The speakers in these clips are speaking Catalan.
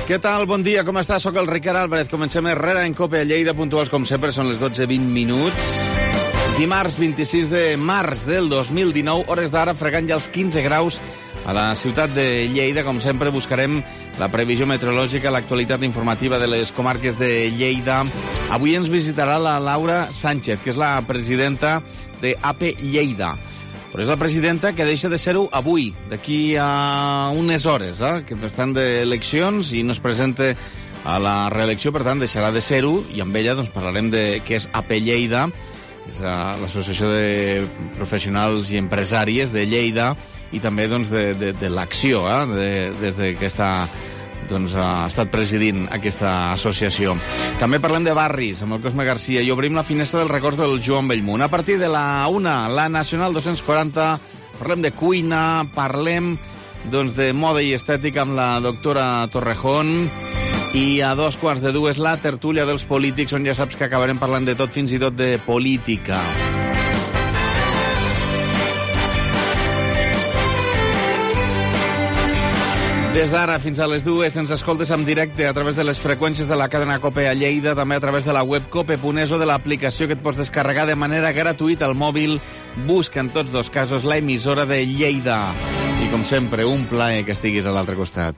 Què tal? Bon dia, com està? Soc el Ricard Álvarez. Comencem Herrera en Cope a Lleida, puntuals com sempre, són les 12:20 minuts. Dimarts 26 de març del 2019, hores d'ara, fregant ja els 15 graus a la ciutat de Lleida. Com sempre, buscarem la previsió meteorològica, l'actualitat informativa de les comarques de Lleida. Avui ens visitarà la Laura Sánchez, que és la presidenta de AP Lleida. Però és la presidenta que deixa de ser-ho avui, d'aquí a unes hores, que estan d'eleccions i no es presenta a la reelecció, per tant, deixarà de ser-ho, i amb ella doncs, parlarem de què és AP Lleida, és l'associació de professionals i empresàries de Lleida, i també doncs, de l'acció, des que ha estat presidint aquesta associació. També parlem de barris, amb el Cosme Garcia, i obrim la finestra dels records del Joan Bellmunt. A partir de la 1, la Nacional 240, parlem de cuina, parlem de moda i estètica amb la doctora Torrejón, i a 2:15 la tertúlia dels polítics, on ja saps que acabarem parlant de tot, fins i tot de política. Des d'ara fins a les 2 ens escoltes en directe a través de les freqüències de la cadena COPE a Lleida, també a través de la web cope.es o de l'aplicació que et pots descarregar de manera gratuïta al mòbil. Busca en tots dos casos la emissora de Lleida. I com sempre, un plaer que estiguis a l'altre costat.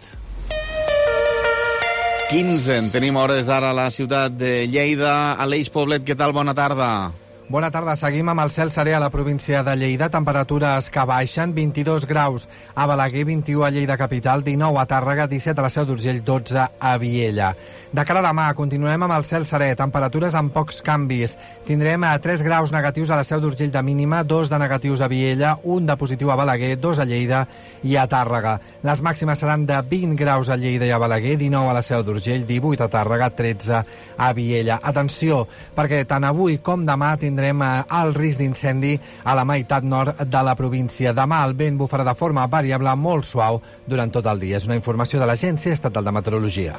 15, tenim hores d'ara a la ciutat de Lleida. Aleix Poblet, què tal? Bona tarda. Bona tarda. Seguim amb el cel serè a la província de Lleida. Temperatures que baixen, 22 graus a Balaguer, 21 a Lleida capital, 19 a Tàrrega, 17 a la Seu d'Urgell, 12 a Viella. De cara a demà, continuem amb el cel serè. Temperatures amb pocs canvis. Tindrem 3 graus negatius a la Seu d'Urgell de mínima, 2 de negatius a Viella, 1 de positiu a Balaguer, 2 a Lleida i a Tàrrega. Les màximes seran de 20 graus a Lleida i a Balaguer, 19 a la Seu d'Urgell, 18 a Tàrrega, 13 a Viella. Atenció, perquè tant avui com demà tindrem el risc d'incendi a la meitat nord de la província. Demà el vent bufarà de forma variable molt suau durant tot el dia. És una informació de l'Agència Estatal de Meteorologia.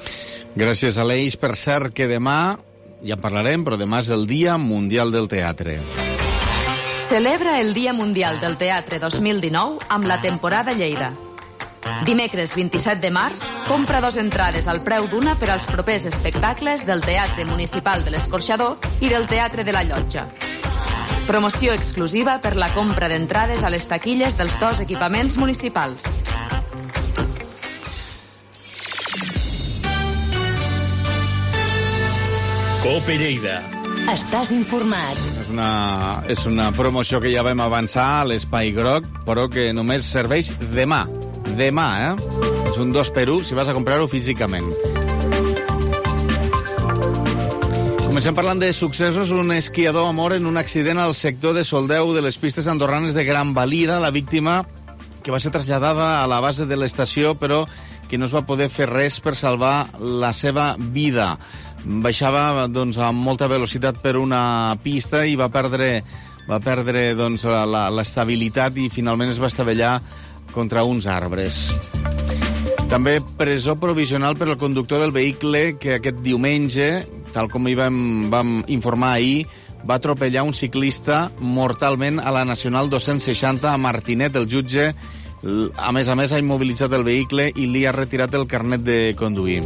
Gràcies, Aleix. Per cert que demà, ja en parlarem, però demà és el Dia Mundial del Teatre. Celebra el Dia Mundial del Teatre 2019 amb la temporada Lleida. Dimecres 27 de març, compra 2 entrades al preu d'una per als propers espectacles del Teatre Municipal de l'Escorxador i del Teatre de la Llotja. Promoció exclusiva per la compra d'entrades a les taquilles dels 2 equipaments municipals. Cope Lleida. Estàs informat. És una promoció que ja vam avançar a l'Espai Groc, però que només serveix demà. Demà, És un 2x1 si vas a comprar-ho físicament. Comencem parlant de successos. Un esquiador mor en un accident al sector de Soldeu de les pistes andorranes de Gran Valira. La víctima, que va ser traslladada a la base de l'estació, però que no es va poder fer res per salvar la seva vida. Baixava amb molta velocitat per una pista i va perdre l'estabilitat i finalment es va estavellar contra uns arbres. També presó provisional per al conductor del vehicle que aquest diumenge, tal com hi vam informar ahir, va atropellar un ciclista mortalment a la Nacional 260 a Martinet. El jutge, a més, ha immobilitzat el vehicle i li ha retirat el carnet de conduir.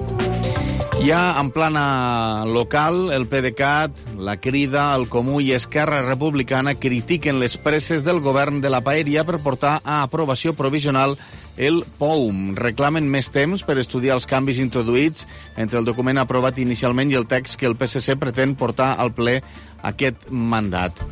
Ja en plana local, el PDeCAT, la Crida, el Comú i Esquerra Republicana critiquen les presses del govern de la Paeria per portar a aprovació provisional el POUM. Reclamen més temps per estudiar els canvis introduïts entre el document aprovat inicialment i el text que el PSC pretén portar al ple aquest mandat.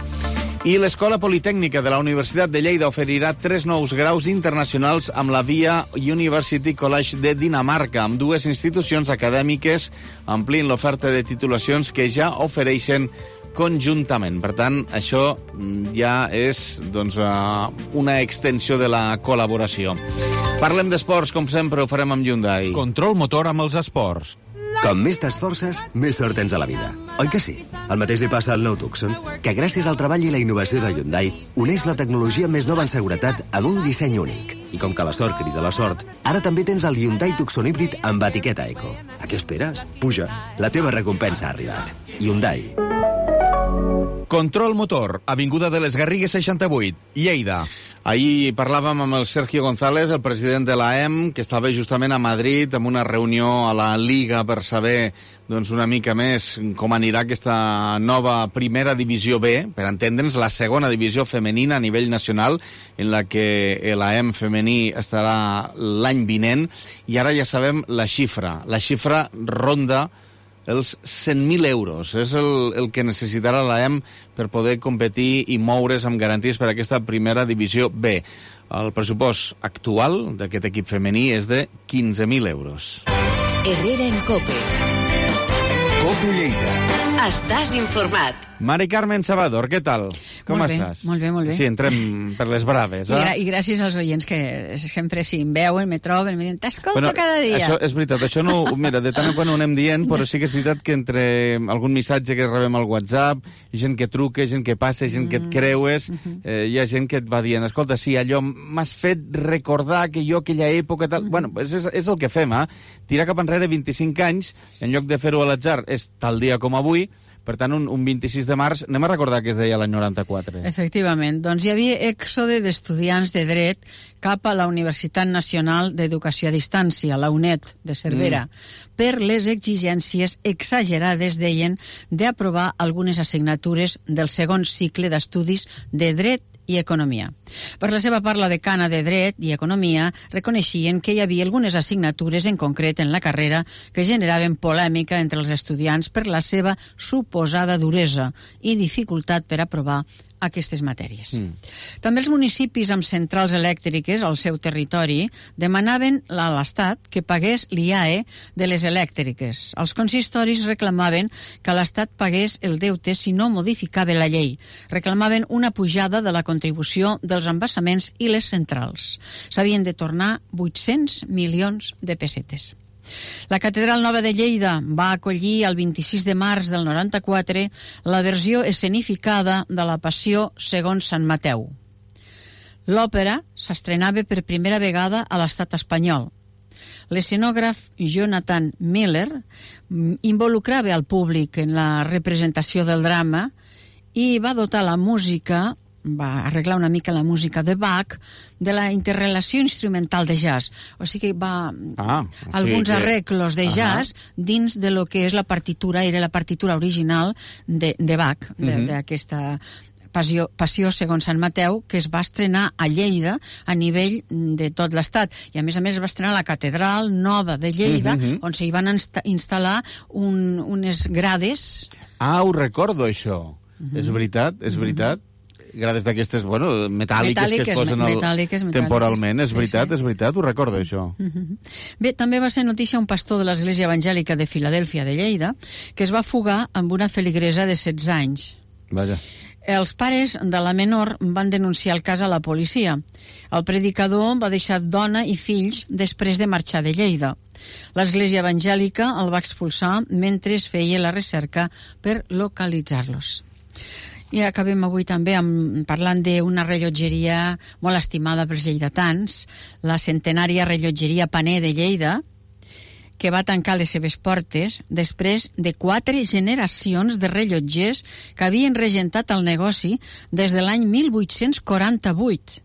I l'Escola Politècnica de la Universitat de Lleida oferirà 3 nous graus internacionals amb la Via University College de Dinamarca, amb 2 institucions acadèmiques amplint l'oferta de titulacions que ja ofereixen conjuntament. Per tant, això ja és una extensió de la col·laboració. Parlem d'esports, com sempre ho farem amb Hyundai. Control motor amb els esports. Com més t'esforces, més sort tens a la vida. Oi que sí? El mateix li passa al nou Tucson, que gràcies al treball i la innovació de Hyundai uneix la tecnologia més nova en seguretat amb un disseny únic. I com que la sort crida la sort, ara també tens el Hyundai Tucson híbrid amb etiqueta Eco. A què esperes? Puja, la teva recompensa ha arribat. Hyundai. Control Motor, Avinguda de les Garrigues 68, Lleida. Ahir parlàvem amb el Sergio González, el president de l'AEM, que estava justament a Madrid amb una reunió a la Liga per saber una mica més com anirà aquesta nova primera divisió B, per entendre'ns, la segona divisió femenina a nivell nacional, en la que l'AEM femení estarà l'any vinent, i ara ja sabem la xifra. La xifra ronda els 100.000 euros. És el que necessitarà l'AEM per poder competir i moure's amb garanties per a aquesta primera divisió B. El pressupost actual d'aquest equip femení és de 15.000 euros. Herrera en COPE. COPE Lleida. Estàs informat. Mari Carmen Sabador, què tal? Com estàs? Molt bé, molt bé. Sí, entrem per les braves. I gràcies als oients que sempre si em veuen, me troben, me diuen, t'escolto cada dia. Això és veritat, això no... Mira, de tant en quan ho anem dient, però sí que és veritat que entre algun missatge que rebem al WhatsApp, gent que truca, gent que passa, gent que et creues, hi ha gent que et va dient, escolta, sí, allò m'has fet recordar que jo aquella època... Tal... Bueno, és el que fem, tirar cap enrere 25 anys, en lloc de fer-ho a l'atzar, és tal dia com avui. Per tant, un 26 de març, anem a recordar que es deia l'any 94. Efectivament. Doncs hi havia èxode d'estudiants de dret cap a la Universitat Nacional d'Educació a Distància, la UNED de Cervera, per les exigències exagerades, deien, d'aprovar algunes assignatures del segon cicle d'estudis de dret i economia. Per la seva part, la decana de Dret i Economia reconeixien que hi havia algunes assignatures en concret en la carrera que generaven polèmica entre els estudiants per la seva suposada duresa i dificultat per aprovar aquestes matèries. També els municipis amb centrals elèctriques al seu territori demanaven a l'Estat que pagués l'IAE de les elèctriques. Els consistoris reclamaven que l'Estat pagués el deute si no modificava la llei. Reclamaven una pujada de la contribució dels embassaments i les centrals. S'havien de tornar 800 milions de pessetes. La Catedral Nova de Lleida va acollir el 26 de març del 94 la versió escenificada de la Passió segons Sant Mateu. L'òpera s'estrenava per primera vegada a l'estat espanyol. L'escenògraf Jonathan Miller involucrava al públic en la representació del drama i va dotar la música, va arreglar una mica la música de Bach, de la interrelació instrumental de jazz. O sigui que va alguns arreglos de jazz dins de lo que és la partitura, era la partitura original de Bach, d'aquesta Passió segons Sant Mateu, que es va estrenar a Lleida a nivell de tot l'estat. I a més es va estrenar a la Catedral Nova de Lleida, on s'hi van instal·lar unes grades. Ho recordo, això. És veritat, és veritat. Grades d'aquestes, metàl·liques que es posen temporalment. És veritat, és veritat, ho recordo, això. Bé, també va ser notícia un pastor de l'Església Evangèlica de Filadèlfia de Lleida que es va fugar amb una feligresa de 16 anys. Vaja. Els pares de la menor van denunciar el cas a la policia. El predicador va deixar dona i fills després de marxar de Lleida. L'Església Evangèlica el va expulsar mentre es feia la recerca per localitzar-los. I acabem avui també parlant d'una rellotgeria molt estimada pels lleidatans, la centenària rellotgeria Paner de Lleida, que va tancar les seves portes després de 4 generacions de rellotgers que havien regentat el negoci des de l'any 1848.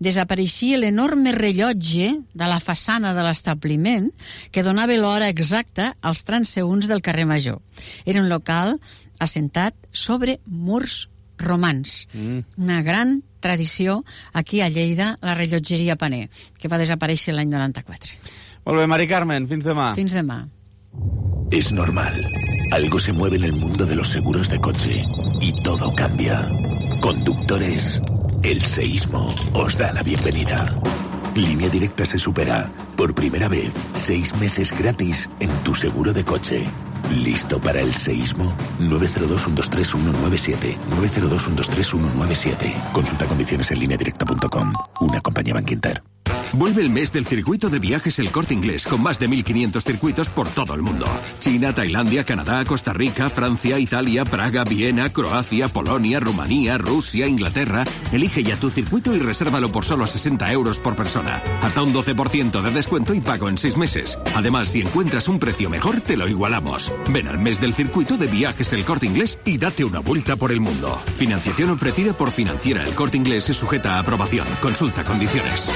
Desapareixia l'enorme rellotge de la façana de l'establiment que donava l'hora exacta als transeünts del carrer Major. Era un local assentat sobre murs romans. Una gran tradició aquí a Lleida, la rellotgeria Paner, que va desaparèixer l'any 94. Molt bé, Mari Carmen, fins demà. Fins demà. Es normal. Algo se mueve en el mundo de los seguros de coche y todo cambia. Conductores, el seísmo os da la bienvenida. Línea Directa se supera. Por primera vez, 6 meses gratis en tu seguro de coche. ¿Listo para el seísmo? 902-123-197. 902-123-197. Consulta condiciones en lineadirecta.com. Una compañía Bankinter. Vuelve el mes del circuito de viajes El Corte Inglés, con más de 1.500 circuitos por todo el mundo. China, Tailandia, Canadá, Costa Rica, Francia, Italia, Praga, Viena, Croacia, Polonia, Rumanía, Rusia, Inglaterra. Elige ya tu circuito y resérvalo por solo 60 euros por persona. Hasta un 12% de descuento y pago en 6 meses. Además, si encuentras un precio mejor, te lo igualamos. Ven al mes del circuito de viajes El Corte Inglés y date una vuelta por el mundo. Financiación ofrecida por Financiera El Corte Inglés y sujeta a aprobación. Consulta condiciones.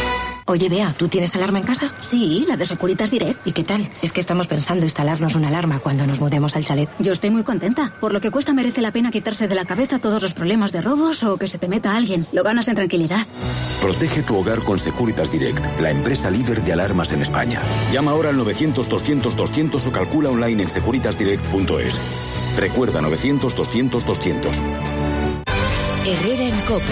Oye, Bea, ¿tú tienes alarma en casa? Sí, la de Securitas Direct. ¿Y qué tal? Es que estamos pensando instalarnos una alarma cuando nos mudemos al chalet. Yo estoy muy contenta. Por lo que cuesta merece la pena quitarse de la cabeza todos los problemas de robos o que se te meta alguien. Lo ganas en tranquilidad. Protege tu hogar con Securitas Direct, la empresa líder de alarmas en España. Llama ahora al 900-200-200 o calcula online en securitasdirect.es. Recuerda, 900-200-200. Herrera en COPE.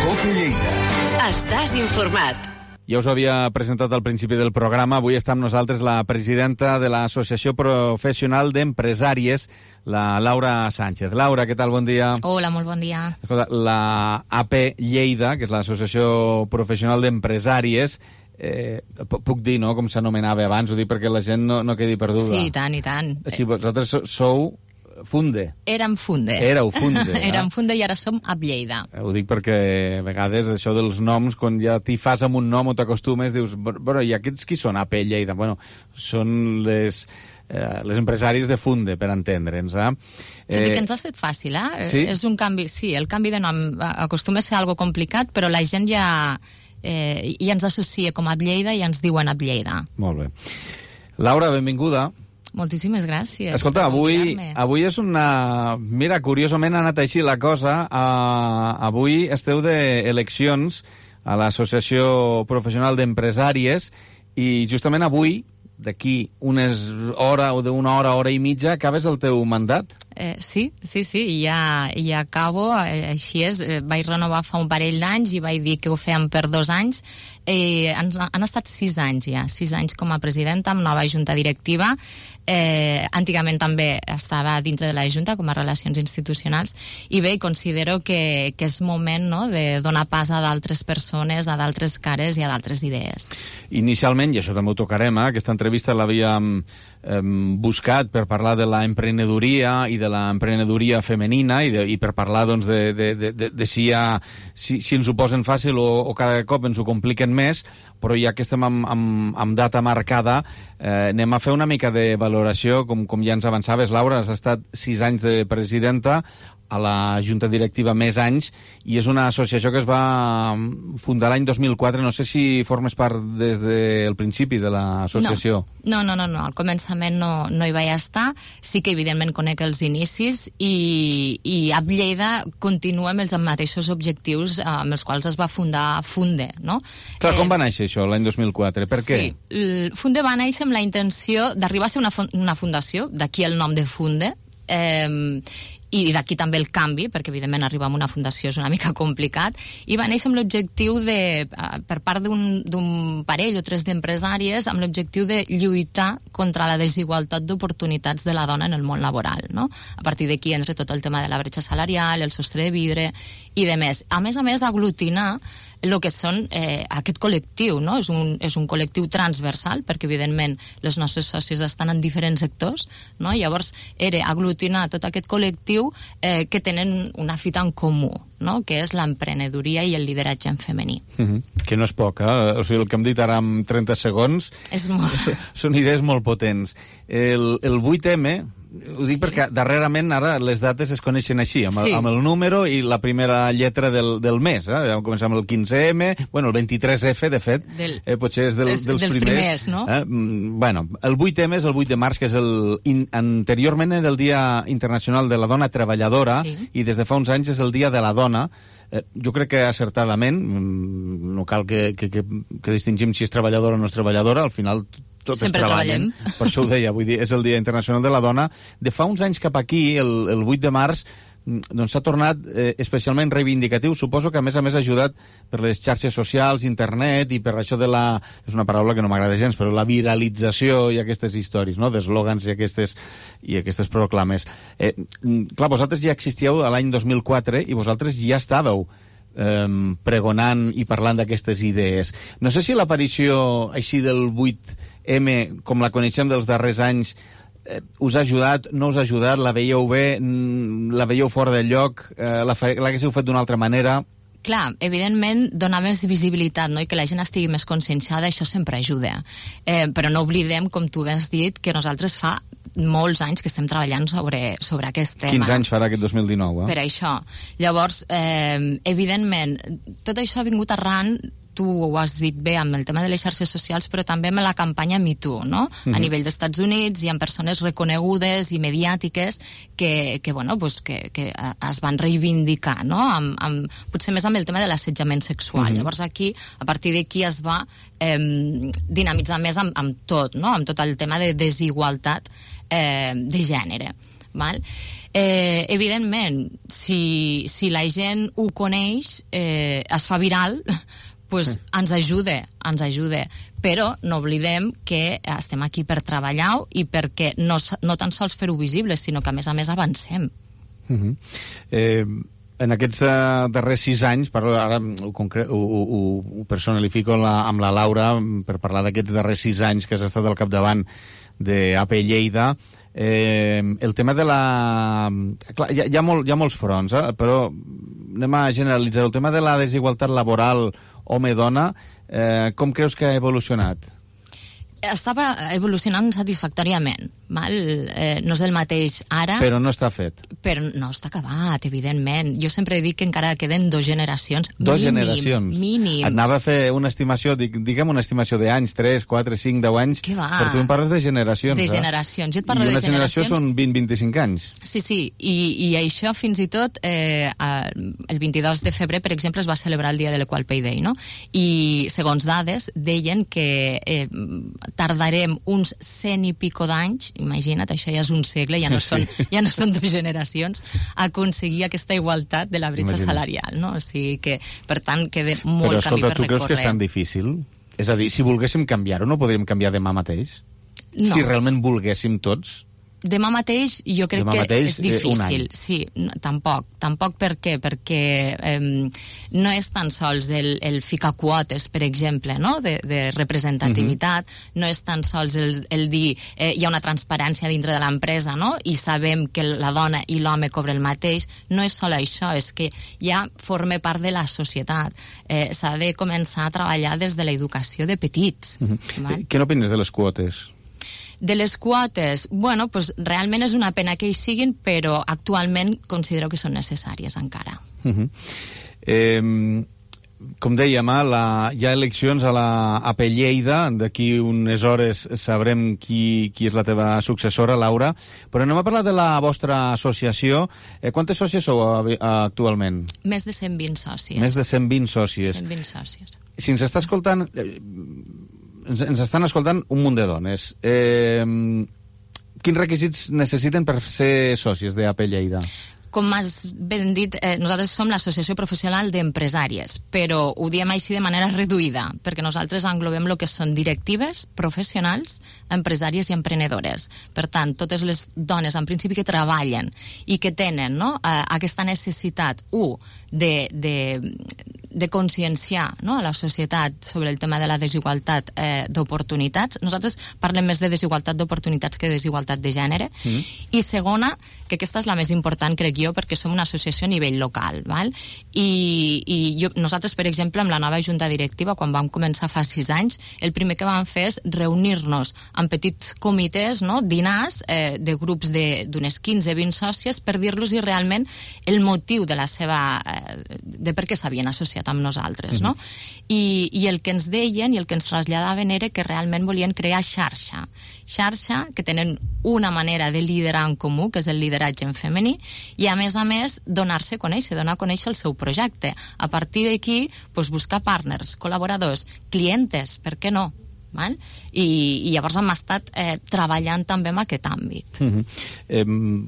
COPE Lleida. Estàs informat. Ja us ho havia presentat al principi del programa. Avui està amb nosaltres la presidenta de l'Associació Professional d'Empresàries, la Laura Sánchez. Laura, què tal? Bon dia. Hola, molt bon dia. Escolta, la AP Lleida, que és l'Associació Professional d'Empresàries, puc dir, no?, com s'anomenava abans, ho dic perquè la gent no quedi perduda. Sí, i tant, i tant. Si vosaltres sou Funde. Érem Funde. Éreu Funde. Érem Funde i ara som a Lleida. Ho dic perquè a vegades això dels noms, quan ja t'hi fas amb un nom o t'acostumes, dius, bueno, i aquests qui són AP Lleida? Bueno, són les empresàries de Funde, per entendre'ns. Tot i que ens ha estat fàcil, Sí? És un canvi, sí, el canvi de nom acostuma a ser algo complicat, però la gent ja ens associa com a Lleida i ens diuen a Lleida. Molt bé. Laura, benvinguda. Moltíssimes gràcies. Escolta, avui és una... Mira, curiosament ha anat així la cosa. Avui esteu d'eleccions a l'Associació Professional d'Empresàries i justament avui, d'aquí una hora i mitja, acabes el teu mandat? Sí, ja acabo, així és. Vaig renovar fa un parell d'anys i vaig dir que ho fèiem per 2 anys. Han estat 6 anys ja, 6 anys com a presidenta amb nova junta directiva. Antigament també estava dintre de la junta com a relacions institucionals i bé, considero que és moment, no?, de donar pas a d'altres persones, a d'altres cares i a d'altres idees. Inicialment, i això també ho tocarem, aquesta entrevista l'havíem buscat per parlar de l'emprenedoria i de l'emprenedoria femenina i per parlar doncs, de si ens ho posen fàcil o cada cop ens ho compliquen més, però ja que estem amb data marcada, anem a fer una mica de valoració, com ja ens avançaves, Laura. Has estat 6 anys de presidenta, a la Junta Directiva més anys, i és una associació que es va fundar l'any 2004. No sé si formes part des del principi de l'associació. No, al començament no hi vaig estar. Sí que evidentment conec els inicis i a Lleida continua amb els mateixos objectius amb els quals es va fundar Funde, no? Clar, com va néixer això l'any 2004? Per què? Sí, Funde va néixer amb la intenció d'arribar a ser una fundació, d'aquí el nom de Funde, i d'aquí també el canvi, perquè evidentment arribar a una fundació és una mica complicat, i va néixer amb l'objectiu per part d'un parell o 3 d'empresàries, amb l'objectiu de lluitar contra la desigualtat d'oportunitats de la dona en el món laboral, no? A partir d'aquí entra tot el tema de la bretxa salarial, el sostre de vidre i de més. A més, aglutinar el que són aquest col·lectiu, no? És un col·lectiu transversal, perquè evidentment les nostres socis estan en diferents sectors, no? Llavors era aglutinar tot aquest col·lectiu que tenen una fita en comú, no?, que és l'emprenedoria i el lideratge en femení. Que no és poc, O sigui, el que hem dit ara en 30 segons és molt... són idees molt potents. El 8M, ho dic perquè darrerament ara les dates es coneixen així, amb el número i la primera lletra del mes. Vam començar amb el 15M, bueno, el 23F, de fet, potser és dels primers, no? Bueno, el 8M és el 8 de març, que és anteriorment era el Dia Internacional de la Dona Treballadora, i des de fa uns anys és el Dia de la Dona. Jo crec que acertadament, no cal que distingim si és treballadora o no és treballadora, al final tots treballem. Per això ho deia, vull dir, és el Dia Internacional de la Dona. De fa uns anys cap aquí, el 8 de març, doncs s'ha tornat especialment reivindicatiu. Suposo que a més ha ajudat per les xarxes socials, internet, i per això de la... és una paraula que no m'agrada gens, però la viralització i aquestes històries, no?, d'eslògans i aquestes proclames. Clar, vosaltres ja existíeu a l'any 2004 i vosaltres ja estàveu pregonant i parlant d'aquestes idees. No sé si l'aparició així del 8M, com la coneixem dels darrers anys, us ha ajudat, no us ha ajudat, la veieu bé, la veieu fora del lloc, l'haguéssiu fet d'una altra manera? Clar, evidentment, donar més visibilitat, no? I que la gent estigui més conscienciada, això sempre ajuda. Però no oblidem, com tu has dit, que nosaltres fa molts anys que estem treballant sobre aquest tema. 15 anys farà aquest 2019, Per això. Llavors, evidentment, tot això ha vingut arran, tu ho has dit bé, amb el tema de les xarxes socials, però també amb la campanya Me Too, no? A nivell dels Estats Units, hi ha persones reconegudes i mediàtiques que es van reivindicar, no? Potser més amb el tema de l'assetjament sexual. Llavors aquí, a partir d'aquí es va dinamitzar més amb tot, no? Amb tot el tema de desigualtat de gènere. Val? Evidentment, si la gent ho coneix, es fa viral, pues ens ajuda, però no oblidem que estem aquí per treballar i perquè no tan sols fer-ho visible, sinó que a més avancem. En aquests darrers 6 anys, ara ho personalifico amb la Laura per parlar d'aquests darrers 6 anys que has estat al capdavant d'AP Lleida, el tema de la... Clar, hi ha molts fronts, però anem a generalitzar. El tema de la desigualtat laboral home-dona, com creus que ha evolucionat? Estava evolucionant satisfactòriament, val? No és el mateix ara... Però no està fet. Però no està acabat, evidentment. Jo sempre dic que encara queden 2 generacions. Generacions. Mínim. Et anava a fer una estimació, diguem una estimació d'anys, 3, 4, 5, 10 anys. Què va? Però tu em parles de generacions. De generacions. Jo et parlo de generacions. I una generació són 20-25 anys. Sí. I això fins i tot el 22 de febrer, per exemple, es va celebrar el dia de l'Equal Pay Day, no? I segons dades deien que tardarem uns 100 i pico d'anys, imagina't, això ja és un segle, ja no són 2 generacions, a aconseguir aquesta igualtat de la bretxa salarial, no? O sigui que, per tant, queda molt camí per recórrer. Però escolta, tu creus que és tan difícil? És a dir, si volguéssim canviar-ho, no podríem canviar demà mateix? No. Si realment volguéssim tots? Demà mateix jo crec que és difícil. Sí, tampoc per què? Perquè no és tan sols el ficar quotes, per exemple, no? de representativitat, no és tan sols el dir hi ha una transparència dintre de l'empresa, no? I sabem que la dona i l'home cobren el mateix. No és sol això, és que ja forma part de la societat. S'ha de començar a treballar des de l'educació de petits. Què n'opines de les quotes? De les quotes, bueno, pues realment és una pena que hi siguin, però actualment considero que són necessàries encara. Com dèiem, hi ha eleccions a la AP Lleida, d'aquí unes hores sabrem qui és la teva successora, Laura, però anem a parlar de la vostra associació. Quantes sòcies sou actualment? Més de 120 sòcies. Més de 120 sòcies. 120 sòcies. Si ens està escoltant... Ens estan escoltant un munt de dones. Quins requisits necessiten per ser sòcies d'AP Lleida? Com has ben dit, nosaltres som l'Associació Professional d'Empresàries, però ho diem així de manera reduïda, perquè nosaltres englobem el que són directives, professionals, empresàries i emprenedores. Per tant, totes les dones, en principi, que treballen i que tenen aquesta necessitat, de conscienciar a la societat sobre el tema de la desigualtat d'oportunitats. Nosaltres parlem més de desigualtat d'oportunitats que de desigualtat de gènere. I segona, que aquesta és la més important, crec jo, perquè som una associació a nivell local. Val? Nosaltres, per exemple, amb la nova junta directiva, quan vam començar fa 6 anys, el primer que vam fer és reunir-nos en petits comitès, dinars de grups d'unes 15-20 sòcies, per dir-los realment el motiu de la seva... de per què s'havien associat amb nosaltres, no? I el que ens deien i el que ens traslladaven era que realment volien crear xarxa, que tenen una manera de liderar en comú, que és el lideratge en femení, i a més, donar-se a conèixer, donar a conèixer el seu projecte. A partir d'aquí, buscar partners, col·laboradors, clientes, per què no? I llavors hem estat treballant també en aquest àmbit.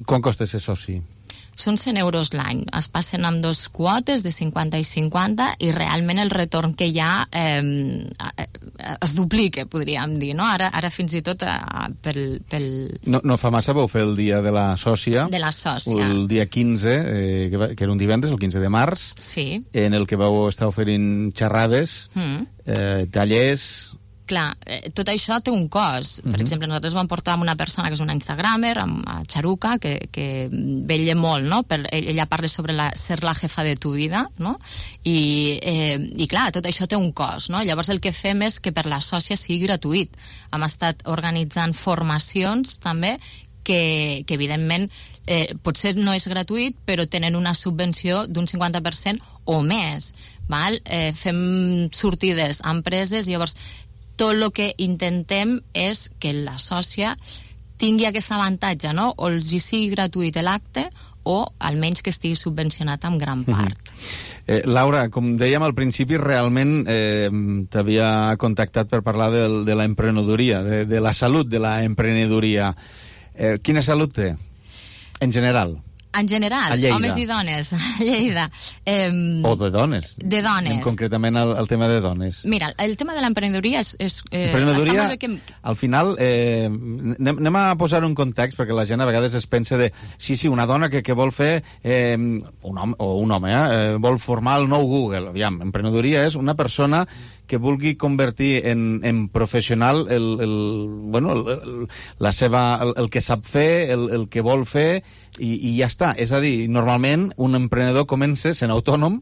Quan costa ser soci? Són 100 euros l'any. Es passen amb 2 quotes de 50 i 50 i realment el retorn que hi ha es duplica, podríem dir, no? Ara fins i tot No fa massa vau fer el dia de la sòcia. De la sòcia. El dia 15, que era un divendres, el 15 de març, sí. En el que vau estar oferint xerrades, tallers... Clar, tot això té un cost. Per exemple, nosaltres vam portar una persona que és una instagramer, a Charuca, que vetlla molt, no? Ella parla sobre ser la jefa de tu vida, no? I clar, tot això té un cost, no? Llavors el que fem és que per la sòcia sigui gratuït. Hem estat organitzant formacions també que evidentment potser no és gratuït, però tenen una subvenció d'un 50% o més. Val? Fem sortides a empreses, llavors tot el que intentem és que la sòcia tingui aquest avantatge, no? O els hi sigui gratuït l'acte o almenys que estigui subvencionat en gran part. Laura, com dèiem al principi, realment t'havia contactat per parlar de la emprenedoria, de la salut de la emprenedoria. Quina salut té, en general? En general, homes i dones, a Lleida. O de dones. De dones. Concretament el tema de dones. Mira, el tema de l'emprenedoria és... Emprenedoria, al final, anem a posar un context, perquè la gent a vegades es pensa de, sí, una dona que vol fer, un home, vol formar el nou Google. Aviam, emprenedoria és una persona que vulgui convertir en professional el que sap fer, el que vol fer, i ja està. És a dir, normalment un emprenedor comença sent autònom.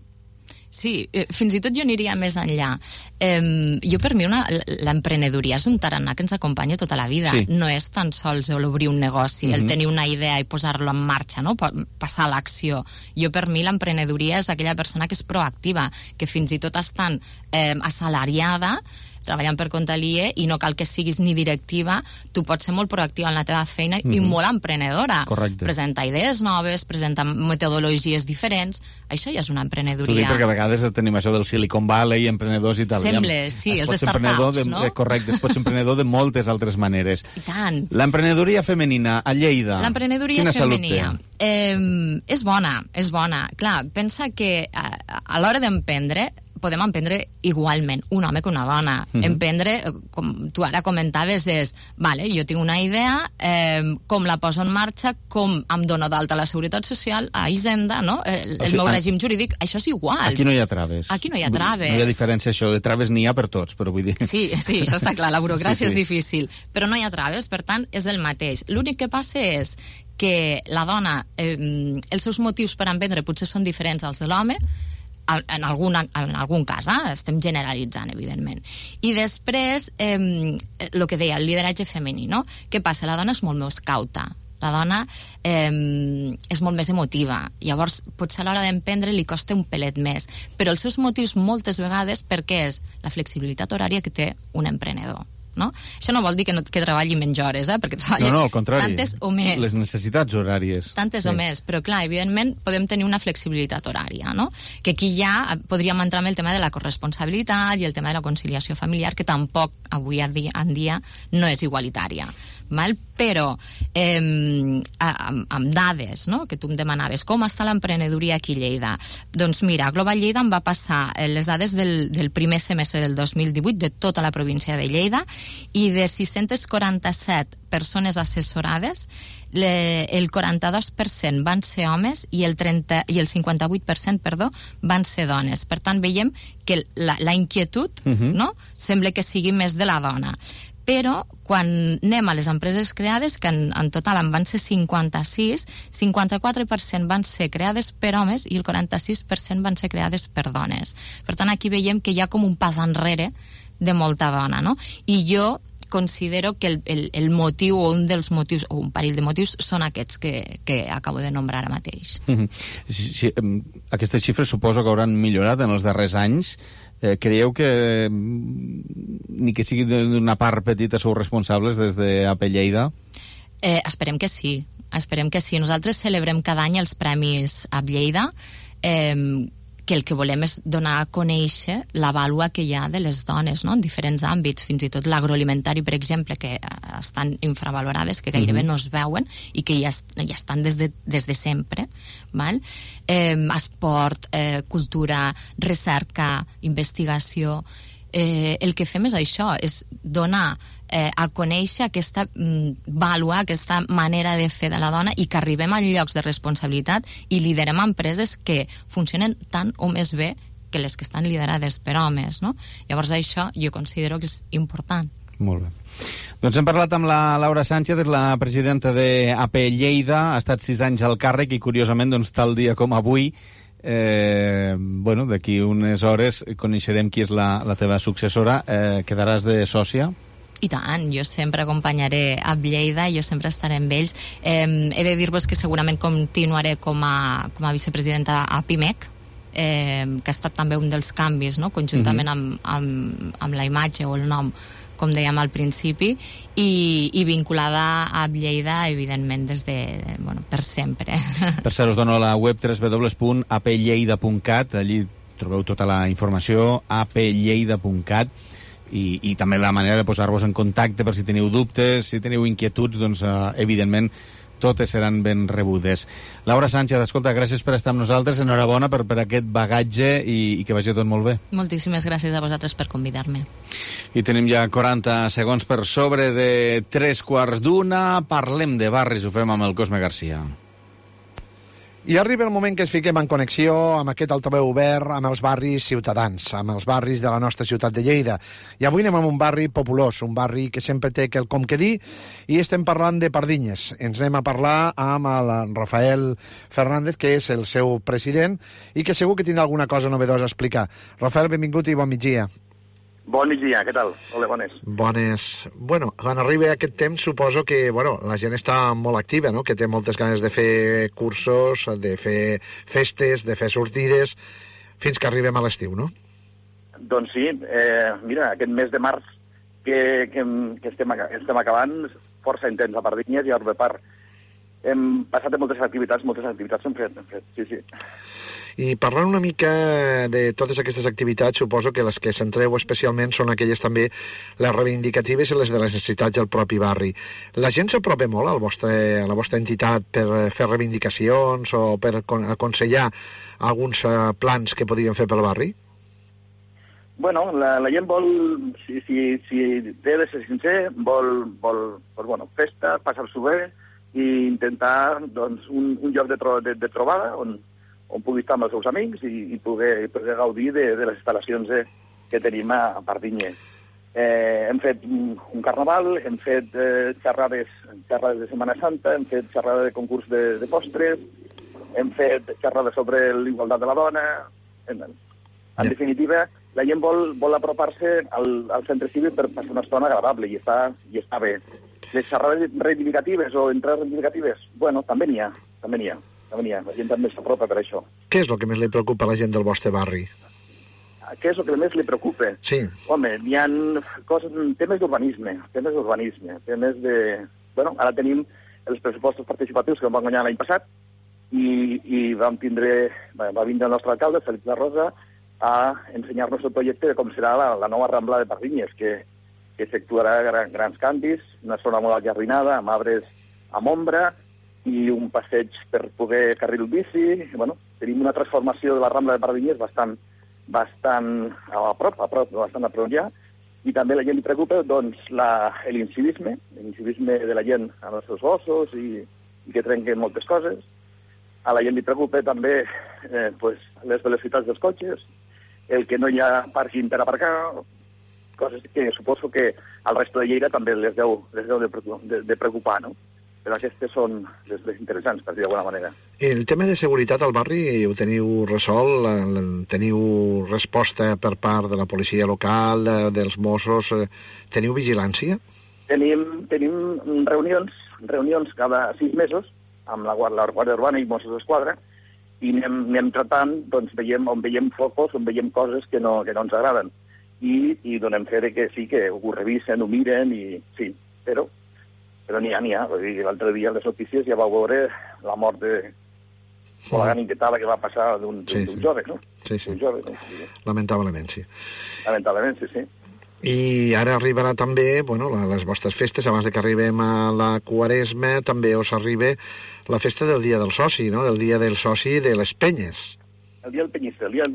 Sí, fins i tot jo aniria més enllà. Jo, per mi, l'emprenedoria és un tarannà que ens acompanya tota la vida. Sí. No és tan sols obrir un negoci, el tenir una idea i posar-lo en marxa, no? Passar a l'acció. Jo, per mi, l'emprenedoria és aquella persona que és proactiva, que fins i tot estant assalariada, treballant per compte aliè, i no cal que siguis ni directiva, tu pots ser molt proactiva en la teva feina i molt emprenedora. Correcte. Presentar idees noves, presentar metodologies diferents, això ja és una emprenedoria. T'ho dic perquè a vegades tenim això del Silicon Valley, emprenedors i tal. Sembla, sí, els startups, no? Correcte, es pot ser emprenedor de moltes altres maneres. I tant. L'emprenedoria femenina a Lleida, l'emprenedoria femenina és bona. Clar, pensa que a l'hora d'emprendre podem emprendre igualment un home que una dona. Emprendre, com tu ara comentaves, és, vale, jo tinc una idea, com la poso en marxa, com em dono d'alta a la Seguretat Social, a Hisenda, no? El meu règim jurídic, això és igual. Aquí no hi ha traves. Aquí no hi ha traves. No hi ha diferència, això de traves n'hi ha per tots, però vull dir... Sí, això està clar, la burocràcia és difícil, però no hi ha traves, per tant, és el mateix. L'únic que passa és que la dona, els seus motius per emprendre potser són diferents als de l'home, en algun cas, estem generalitzant, evidentment. I després, el que deia, el lideratge femení, no? Què passa? La dona és molt més cauta, la dona és molt més emotiva, llavors potser a l'hora d'emprendre li costa un pelet més, però els seus motius moltes vegades perquè és la flexibilitat horària que té un emprenedor. No? Això no vol dir que treballi menys hores, perquè treballa al contrari, tantes o més. Les necessitats horàries. Tantes o més, però clar, evidentment podem tenir una flexibilitat horària, no? Que aquí ja podríem entrar amb el tema de la corresponsabilitat i el tema de la conciliació familiar, que tampoc avui en dia no és igualitària. Val? Però amb dades, no? Que tu em demanaves, com està l'emprenedoria aquí a Lleida? Doncs mira, Global Lleida em va passar les dades del primer semestre del 2018 de tota la província de Lleida, i de 647 persones assessorades, el 42% van ser homes i el 58% van ser dones. Per tant, veiem que la inquietud no? Sembla que sigui més de la dona. Però quan anem a les empreses creades, que en total en van ser 56, 54% van ser creades per homes i el 46% van ser creades per dones. Per tant, aquí veiem que hi ha com un pas enrere de molta dona, no? I jo considero que el motiu o un dels motius, o un parell de motius, són aquests que acabo de nombrar ara mateix. Sí, aquestes xifres suposo que hauran millorat en els darrers anys. Creieu que ni que sigui d'una part petita sou responsables des d'AP Lleida? Esperem que sí. Nosaltres celebrem cada any els premis AP Lleida, que el que volem és donar a conèixer la vàlua que hi ha de les dones, no? En diferents àmbits, fins i tot l'agroalimentari, per exemple, que estan infravalorades, que gairebé no es veuen i que ja estan des de sempre, val? Esport, cultura, recerca, investigació, el que fem és això, és donar a conèixer valorar aquesta manera de fer de la dona i que arribem a llocs de responsabilitat i liderem empreses que funcionen tant o més bé que les que estan liderades per homes, no? Llavors això jo considero que és important. Molt bé. Doncs hem parlat amb la Laura Sánchez, la presidenta d'AP Lleida, ha estat 6 anys al càrrec i curiosament doncs, tal dia com avui d'aquí unes hores coneixerem qui és la teva successora. Quedaràs de sòcia? I tant, jo sempre acompanyaré a Lleida, jo sempre estaré amb ells. He de dir-vos que segurament continuaré com a vicepresidenta a PIMEC, que ha estat també un dels canvis, no? Conjuntament amb la imatge o el nom, com dèiem al principi, i vinculada a Lleida, evidentment, per sempre. Per cert, us dono la web www.aplleida.cat, allí trobeu tota la informació, aplleida.cat, i també la manera de posar-vos en contacte per si teniu dubtes, si teniu inquietuds, doncs evidentment totes seran ben rebudes. Laura Sánchez, escolta, gràcies per estar amb nosaltres, enhorabona per aquest bagatge i que vagi tot molt bé. Moltíssimes gràcies a vosaltres per convidar-me. I tenim ja 40 segons per sobre de 3:15. Parlem de barris, ho fem amb el Cosme Garcia. I arriba el moment que ens fiquem en connexió amb aquest altaveu obert amb els barris ciutadans, amb els barris de la nostra ciutat de Lleida. I avui anem a un barri populós, un barri que sempre té quelcom que dir, i estem parlant de Pardinyes. Ens anem a parlar amb el Rafael Fernández, que és el seu president, i que segur que tindrà alguna cosa novedosa a explicar. Rafael, benvingut i bon migdia. Bon migdia, què tal? Hola, bones. Bones. Bueno, quan arriba aquest temps suposo que la gent està molt activa, no? Que té moltes ganes de fer cursos, de fer festes, de fer sortides, fins que arribem a l'estiu, no? Doncs sí, mira, aquest mes de març que estem acabant, força intens a Pardinyes i a Urbepar. Hem passat de moltes activitats hem fet, sí. I parlant una mica de totes aquestes activitats, suposo que les que centreu especialment són aquelles també les reivindicatives i les de les necessitats del propi barri. La gent s'apropa molt a la vostra entitat per fer reivindicacions o per aconsellar alguns plans que podríem fer pel barri? Bueno, la gent vol, si té de ser sincer, vol festa, passar-s'ho bé i intentar un lloc de trobada on pugui estar amb els seus amics i poder gaudir de les instal·lacions que tenim a Pardinyes. Hem fet un carnaval, hem fet xerrades de Setmana Santa, hem fet xerrada de concurs de postres, hem fet xerrades sobre l'igualtat de la dona. En definitiva, la gent vol apropar-se al centre cívic per passar una estona agradable i està bé. Les xerrades reivindicatives o entrades reivindicatives, també n'hi ha. La gent també s'apropa per això. Què és el que més li preocupa a la gent del vostre barri? Què és el que més li preocupa? Sí. Home, hi ha temes d'urbanisme, temes de... Ara tenim els pressupostos participatius que vam guanyar l'any passat i va vindre el nostre alcalde, Félix de Rosa, a ensenyar-nos el projecte de com serà la nova Rambla de Pardinyes, que efectuarà grans canvis, una zona molt allarrinada, amb arbres amb ombra, i un passeig per poder carril bici. Tenim una transformació de la Rambla de Pardinyes bastant a prop ja, i també a la gent li preocupa l'incivisme de la gent amb els seus gossos i que trenquen moltes coses. A la gent li preocupa també les velocitats dels cotxes, el que no hi ha pàrquing per aparcar, coses que suposo que al resto de Lleida també les deu de preocupar, no? Però aquestes són les més interessants, per dir d'alguna manera. El tema de seguretat al barri ho teniu resolt? Teniu resposta per part de la policia local, dels Mossos? Teniu vigilància? Tenim reunions cada 6 mesos amb la Guàrdia Urbana i Mossos d'Esquadra i anem tratant, on veiem focus, on veiem coses que no ens agraden. I donem fe que sí, que ho revisen, ho miren, i sí, però n'hi ha. L'altre dia a les notícies ja vau veure la mort de la gran inquietada que va passar d'un jove, no? Sí. Lamentablement, sí. Lamentablement, sí. I ara arribarà també, les vostres festes, abans que arribem a la Quaresma, també us arriba la festa del Dia del Soci, no? Del Dia del Soci de les Penyes. El dia del Penyista. El dia del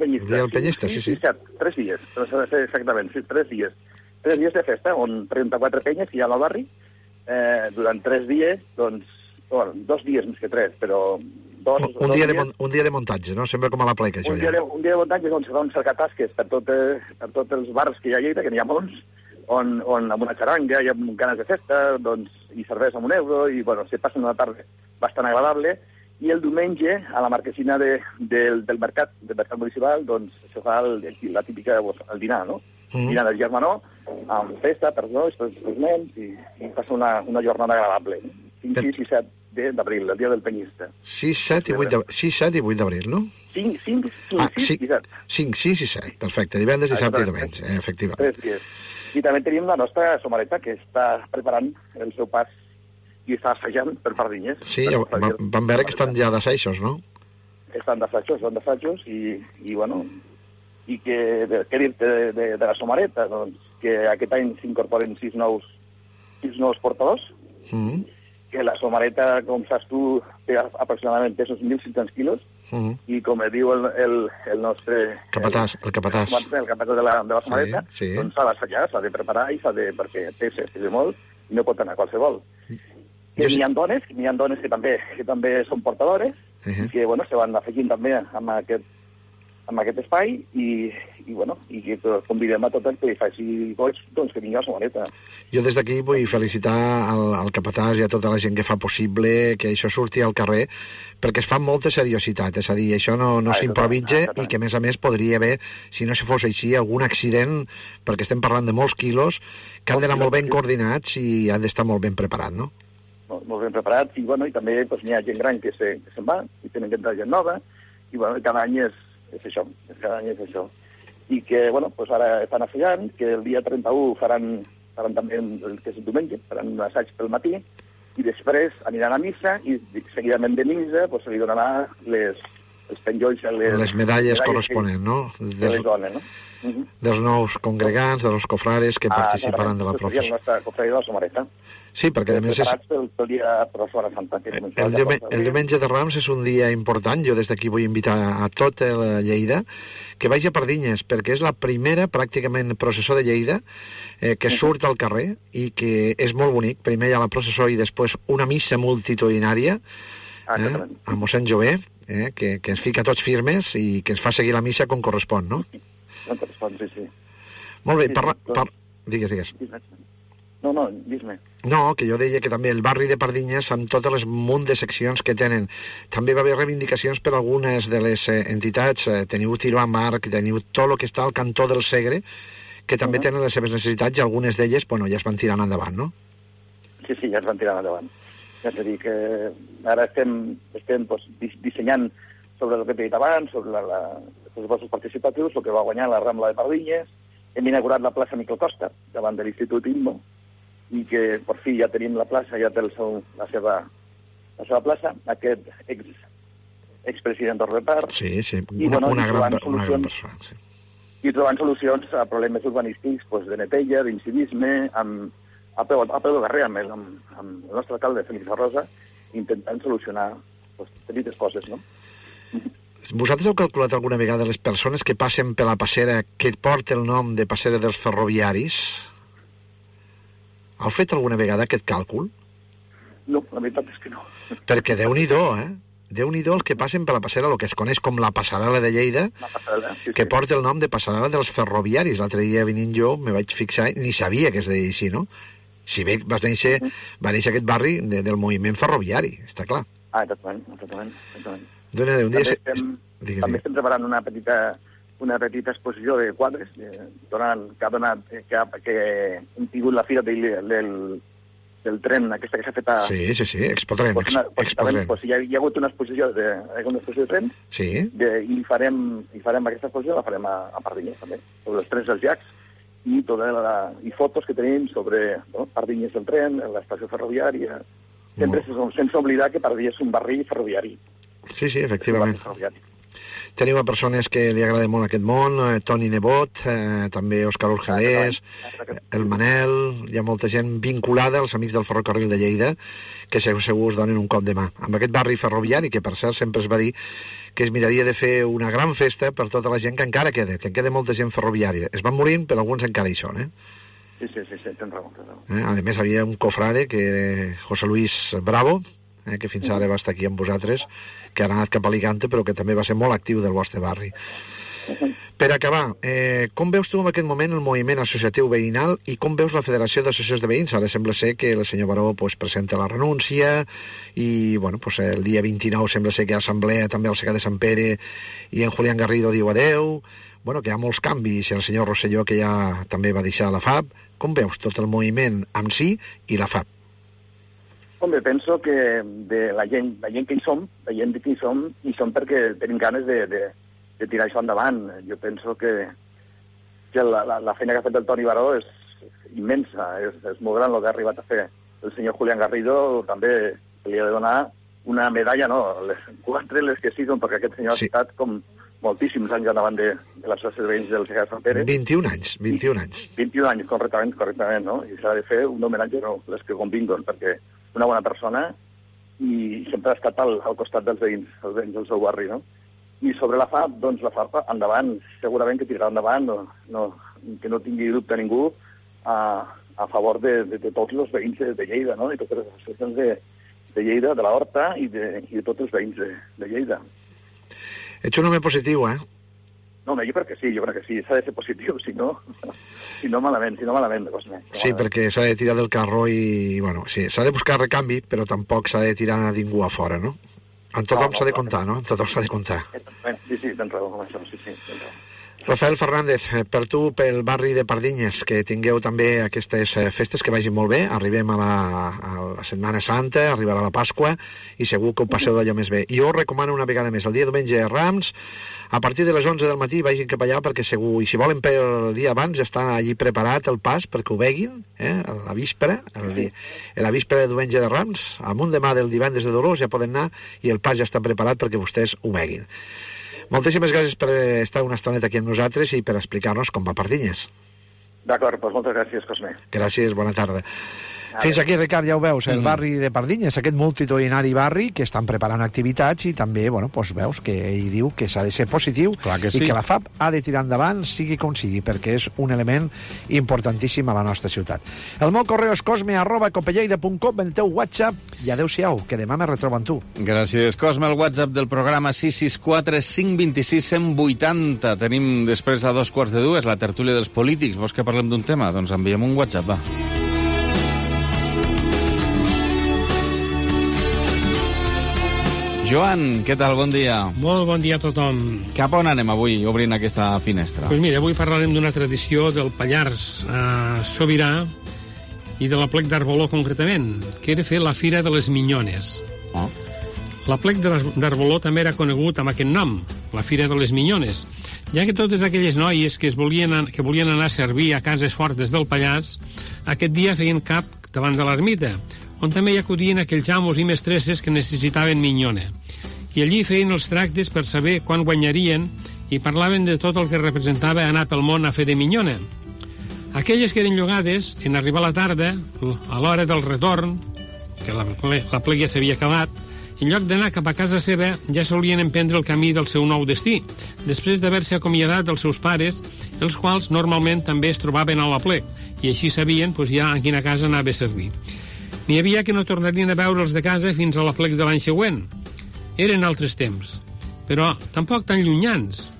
Penyista, sí. 3 dies, exactament, 3 dies. 3 dies de festa, on 34 penyes que hi ha al barri, durant 3 dies, doncs, 2 dies més que 3, però... Un dia de muntatge, no? Sembla com a la pleca, això, ja. Un dia de muntatge on se fan cercatasques per tots els bars que hi ha a Lleida, que n'hi ha molts, on amb una xaranga hi ha ganes de festa, doncs, i cervesa amb €1, i, bueno, se passen una tarda bastant agradable, i el diumenge, a la marquesina del mercat municipal, doncs, se fa la típica, el dinar, no? Dinar del germanor, amb festa per els nens, i passa una jornada agradable. 5, 6 i 7 d'abril, el dia del Penyista. 6, 7 i 8 d'abril, no? 5, 6 i 7. 5, 6 i 7, perfecte. Divendres, dissabte i diumenge, efectivament. 3 dies. I també tenim la nostra somareta, que està preparant el seu pas i està assajant per Pardinyes. Sí, vam veure que estan ja d'assajos, no? Estan d'assajos i bueno, i què dir-te de la somareta? Doncs que aquest any s'incorporen 6 nous portadors, que la somareta, com saps tu, té aproximadament pesos 1.500 quilos, i com diu el nostre... Capatàs. El capatàs de la somareta, doncs s'ha d'assajar, s'ha de preparar perquè pesa molt i no pot anar qualsevol. Que n'hi ha dones que també són portadores, i que, bueno, se van afegint també amb aquest espai, i que convidem a tot el que li faci goig, doncs que vingui a la somareta. Jo des d'aquí vull felicitar al capatàs i a tota la gent que fa possible que això surti al carrer, perquè es fa amb molta seriositat, és a dir, això no s'improvitja, i que a més podria haver, si no fos així, algun accident, perquè estem parlant de molts quilos, que han d'anar molt ben coordinats i han d'estar molt ben preparats, no? Molt ben preparats, i també n'hi ha gent gran que se'n va, i tenen que entrar gent nova, i cada any és això. I que, ara estan assajant, que el dia 31 faran també, que és el diumenge, faran un assaig pel matí, i després aniran a missa, i seguidament de missa se li donarà els penjolls... Les medalles corresponents, no? De les dones, no? Dels nous congregants, dels cofrares que participaran de la professió. La nostra cofraria de la somareta. Sí, perquè a més és... Pel dia de la Setmana Santa. El diumenge de Rams és un dia important. Jo des d'aquí vull invitar a tot el Lleida que vagi a Pardinyes, perquè és la primera, pràcticament, processó de Lleida que surt al carrer i que és molt bonic. Primer hi ha la processó i després una missa multitudinària amb mossèn Jové, que ens fica tots firmes i que ens fa seguir la missa com correspon, no? Com correspon, sí. Molt bé, digues. No, dis-me. No, que jo deia que també el barri de Pardinyes, amb totes les munt de seccions que tenen, també va haver reivindicacions per algunes de les entitats. Teniu Tiro amb Arc, teniu tot el que està al cantó del Segre, que també tenen les seves necessitats, i algunes d'elles, ja es van tirant endavant, no? Sí, ja es van tirant endavant. És a dir, que ara estem dissenyant sobre el que he dit abans, sobre els pressupostos participatius, el que va guanyar la Rambla de Pardinyes. Hem inaugurat la plaça Miquel Costa, davant de l'Institut INMO, i que per fi ja tenim la plaça, ja té la seva plaça, aquest expresident d'Orrepar. Sí, una gran persona. I trobant solucions a problemes urbanístics de neteja, d'incivisme, a peu de carrer amb el nostre alcalde, Félix Arrosa, intentant solucionar petites coses, no? Vosaltres heu calculat alguna vegada les persones que passen per la passera que porta el nom de passera dels ferroviaris? Heu fet alguna vegada aquest càlcul? No, la veritat és que no. Perquè Déu-n'hi-do, Déu-n'hi-do els que passen per la passera, el que es coneix com la passarel·la de Lleida, que porta el nom de passarel·la dels ferroviaris. L'altre dia venint jo me vaig fixar, ni sabia que es deia així, no? Si bé va néixer aquest barri del moviment ferroviari, està clar. Exactament. També estem preparant una petita exposició de quadres que hem tingut la fira del tren, aquesta que s'ha fet a... Sí, Expotren. Hi ha hagut una exposició de trens, i farem aquesta exposició, la farem a Pardinyes també, sobre els trens dels llacs, i fotos que tenim sobre Pardinyes del tren, l'estació ferroviària, sempre sense oblidar que Pardinyes és un barri ferroviari. Sí, efectivament. Teniu a persones que li agrada molt aquest món, Toni Nebot, també Òscar Urgelés, el Manel, hi ha molta gent vinculada als amics del ferrocarril de Lleida que segur us donen un cop de mà. Amb aquest barri ferroviari, que per cert sempre es va dir que es miraria de fer una gran festa per tota la gent que encara queda, que queda molta gent ferroviària. Es van morint, però alguns encara hi són, Sí, tens raó. A més, havia un cofrade, que José Luis Bravo, que fins ara va estar aquí amb vosaltres, que ara ha anat cap a Alicante, però que també va ser molt actiu del vostre barri. Per acabar, com veus tu en aquest moment el moviment associatiu veïnal i com veus la Federació d'Associacions de Veïns? Ara sembla ser que el senyor Baró presenta la renúncia i el dia 29 sembla ser que hi ha assemblea també al Segà de Sant Pere i en Julián Garrido diu adeu. Que hi ha molts canvis, i el senyor Rosselló, que ja també va deixar la FAB. Com veus tot el moviment amb si i la FAB? Home, penso que de la gent que hi som, hi som perquè tenim ganes de tirar això endavant. Jo penso que la feina que ha fet el Toni Baró és immensa, és molt gran el que ha arribat a fer. El senyor Julián Garrido també li ha de donar una medalla, les 4, les que siguin, perquè aquest senyor ha estat com moltíssims anys endavant de l'Associació de Veïns del Segà de Sant Pere. 21 anys. 21 anys, correctament, no? I s'ha de fer un homenatge, les que convinguen, perquè una bona persona i sempre ha estat al costat dels veïns del seu barri, no? I sobre la FAB, doncs la FAB endavant, segurament que tirarà endavant, que no tingui dubte ningú a favor de tots els veïns de Lleida, no? I totes les associacions de Lleida, de la Horta i de tots els veïns de Lleida. Ets un home positiu, No, jo crec que sí, s'ha de ser positiu, si no malament, Cosme. Sí, perquè s'ha de tirar del carro i, sí, s'ha de buscar recanvi, però tampoc s'ha de tirar a ningú a fora, no? En tothom s'ha de comptar, no? En tothom s'ha de comptar. Sí, tens raó, com això, sí, tens raó. Rafael Fernández, per tu, pel barri de Pardinyes, que tingueu també aquestes festes que vagin molt bé, arribem a la Setmana Santa, arribarà la Pasqua, i segur que ho passeu d'allò més bé. Jo us recomano una vegada més, el dia diumenge de Rams, a partir de les 11 del matí vagin cap allà, perquè segur, i si volen per el dia abans, ja està allí preparat el pas perquè ho veguin, a la víspera, la víspera de diumenge de Rams, amunt demà del divendres de Dolors ja poden anar, i el pas ja està preparat perquè vostès ho veguin. Moltíssimes gràcies per estar una estoneta aquí amb nosaltres i per explicar-nos com va Pardinyes. D'acord, doncs moltes gràcies, Cosme. Gràcies, bona tarda. Fins aquí, Ricard, ja ho veus, el barri de Pardinyes, aquest multitudinari barri que estan preparant activitats i també, veus que ell diu que s'ha de ser positiu i que la FAB ha de tirar endavant, sigui com sigui, perquè és un element importantíssim a la nostra ciutat. El meu correu és cosme@copelleida.com, el teu WhatsApp, i adeu-siau, que demà me retrobo amb tu. Gràcies, Cosme. El WhatsApp del programa 664 526 180. Tenim després a 2:45 la tertúlia dels polítics. Vols que parlem d'un tema? Doncs enviem un WhatsApp, va. Joan, què tal? Bon dia. Molt bon dia a tothom. Cap on anem avui, obrint aquesta finestra? Doncs mira, avui parlarem d'una tradició del Pallars Sobirà i de l'Aplec d'Arboló, concretament, que era fer la Fira de les Minyones. L'Aplec d'Arboló també era conegut amb aquest nom, la Fira de les Minyones, ja que totes aquelles noies que volien anar a servir a cases fortes del Pallars, aquest dia feien cap davant de l'ermita, on també hi acudien aquells amos i mestresses que necessitaven minyona. I allí feien els tractes per saber quan guanyarien i parlaven de tot el que representava anar pel món a fer de minyona. Aquelles que eren llogades, en arribar la tarda, a l'hora del retorn, que la plec ja s'havia acabat, en lloc d'anar cap a casa seva, ja solien emprendre el camí del seu nou destí, després d'haver-se acomiadat dels seus pares, els quals normalment també es trobaven a la plec, i així sabien ja a quina casa anava a servir. N'hi havia que no tornarien a veure'ls de casa fins a la plec de l'any següent. Eren altres temps, però tampoc tan llunyans.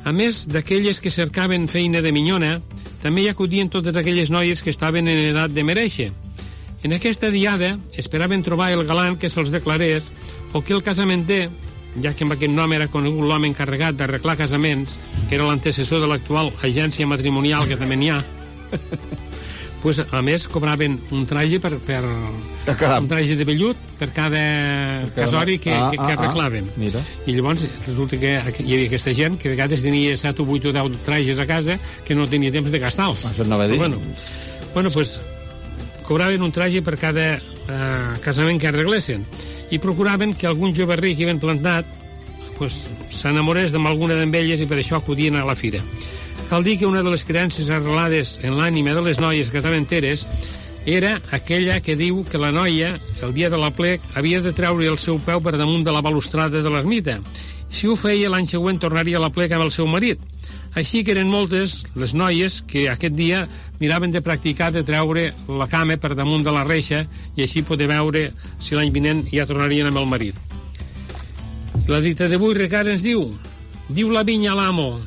A més d'aquelles que cercaven feina de minyona, també hi acudien totes aquelles noies que estaven en edat de merèixer. En aquesta diada esperaven trobar el galant que se'ls declarés o que el casamenter, ja que amb aquest nom era conegut l'home encarregat d'arreglar casaments, que era l'antecessor de l'actual agència matrimonial que també n'hi ha, a més cobraven un traje un traje de vellut per cada casori que arreglaven. I llavors resulta que hi havia aquesta gent que a vegades tenia 7 o 8 o 10 trajes a casa que no tenia temps de gastar-los. Això no va dir. Cobraven un traje per cada casament que arreglessin i procuraven que algun jove ric que havien plantat s'enamorés d'alguna d'elles i per això acudien a la fira. Cal dir que una de les creences arrelades en l'ànima de les noies casamenteres era aquella que diu que la noia, el dia de l'aplec, havia de treure el seu peu per damunt de la balustrada de l'ermita. Si ho feia, l'any següent tornaria a l'aplec amb el seu marit. Així que eren moltes les noies que aquest dia miraven de practicar de treure la cama per damunt de la reixa i així poder veure si l'any vinent ja tornarien amb el marit. La dita d'avui, Ricard, ens diu la vinya a l'amo.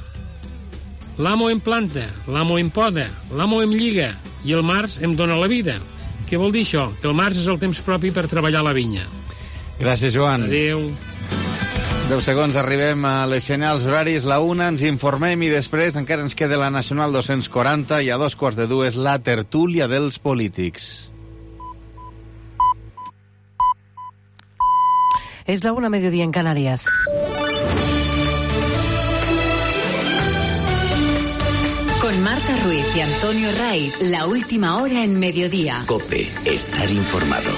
L'amo em planta, l'amo em poda, l'amo em lliga i el març em dona la vida. Què vol dir això? Que el març és el temps propi per treballar la vinya. Gràcies, Joan. Adéu. 10 segons, arribem a les senyals horaris, la 1, ens informem i després encara ens queda la Nacional 240 i a 2:45 la tertúlia dels polítics. Es la 1:00 mediodía en Canarias. Con Marta Ruiz y Antonio Ray, la última hora en mediodía. COPE, estar informado.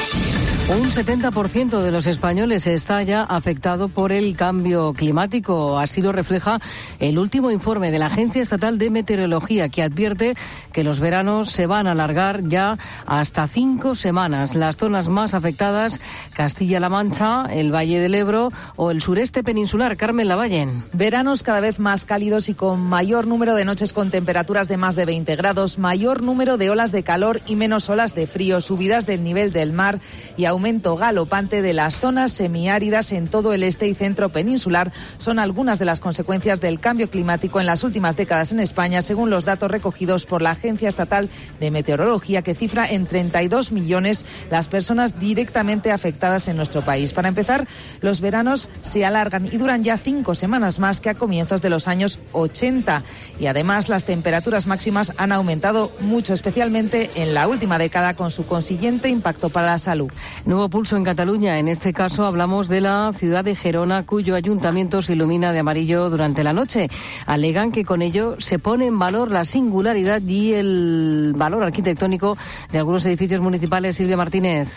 Un 70% de los españoles está ya afectado por el cambio climático. Así lo refleja el último informe de la Agencia Estatal de Meteorología, que advierte que los veranos se van a alargar ya hasta 5 semanas. Las zonas más afectadas, Castilla-La Mancha, el Valle del Ebro o el sureste peninsular. Carmen Lavallen. Veranos cada vez más cálidos y con mayor número de noches con temperaturas de más de 20 grados, mayor número de olas de calor y menos olas de frío, subidas del nivel del mar y aumento galopante de las zonas semiáridas en todo el este y centro peninsular son algunas de las consecuencias del cambio climático en las últimas décadas en España, según los datos recogidos por la Agencia Estatal de Meteorología, que cifra en 32 millones las personas directamente afectadas en nuestro país. Para empezar, los veranos se alargan y duran ya 5 semanas más que a comienzos de los años 80. Y además las temperaturas máximas han aumentado mucho, especialmente en la última década, con su consiguiente impacto para la salud. Nuevo pulso en Cataluña. En este caso hablamos de la ciudad de Gerona, cuyo ayuntamiento se ilumina de amarillo durante la noche. Alegan que con ello se pone en valor la singularidad y el valor arquitectónico de algunos edificios municipales. Silvia Martínez.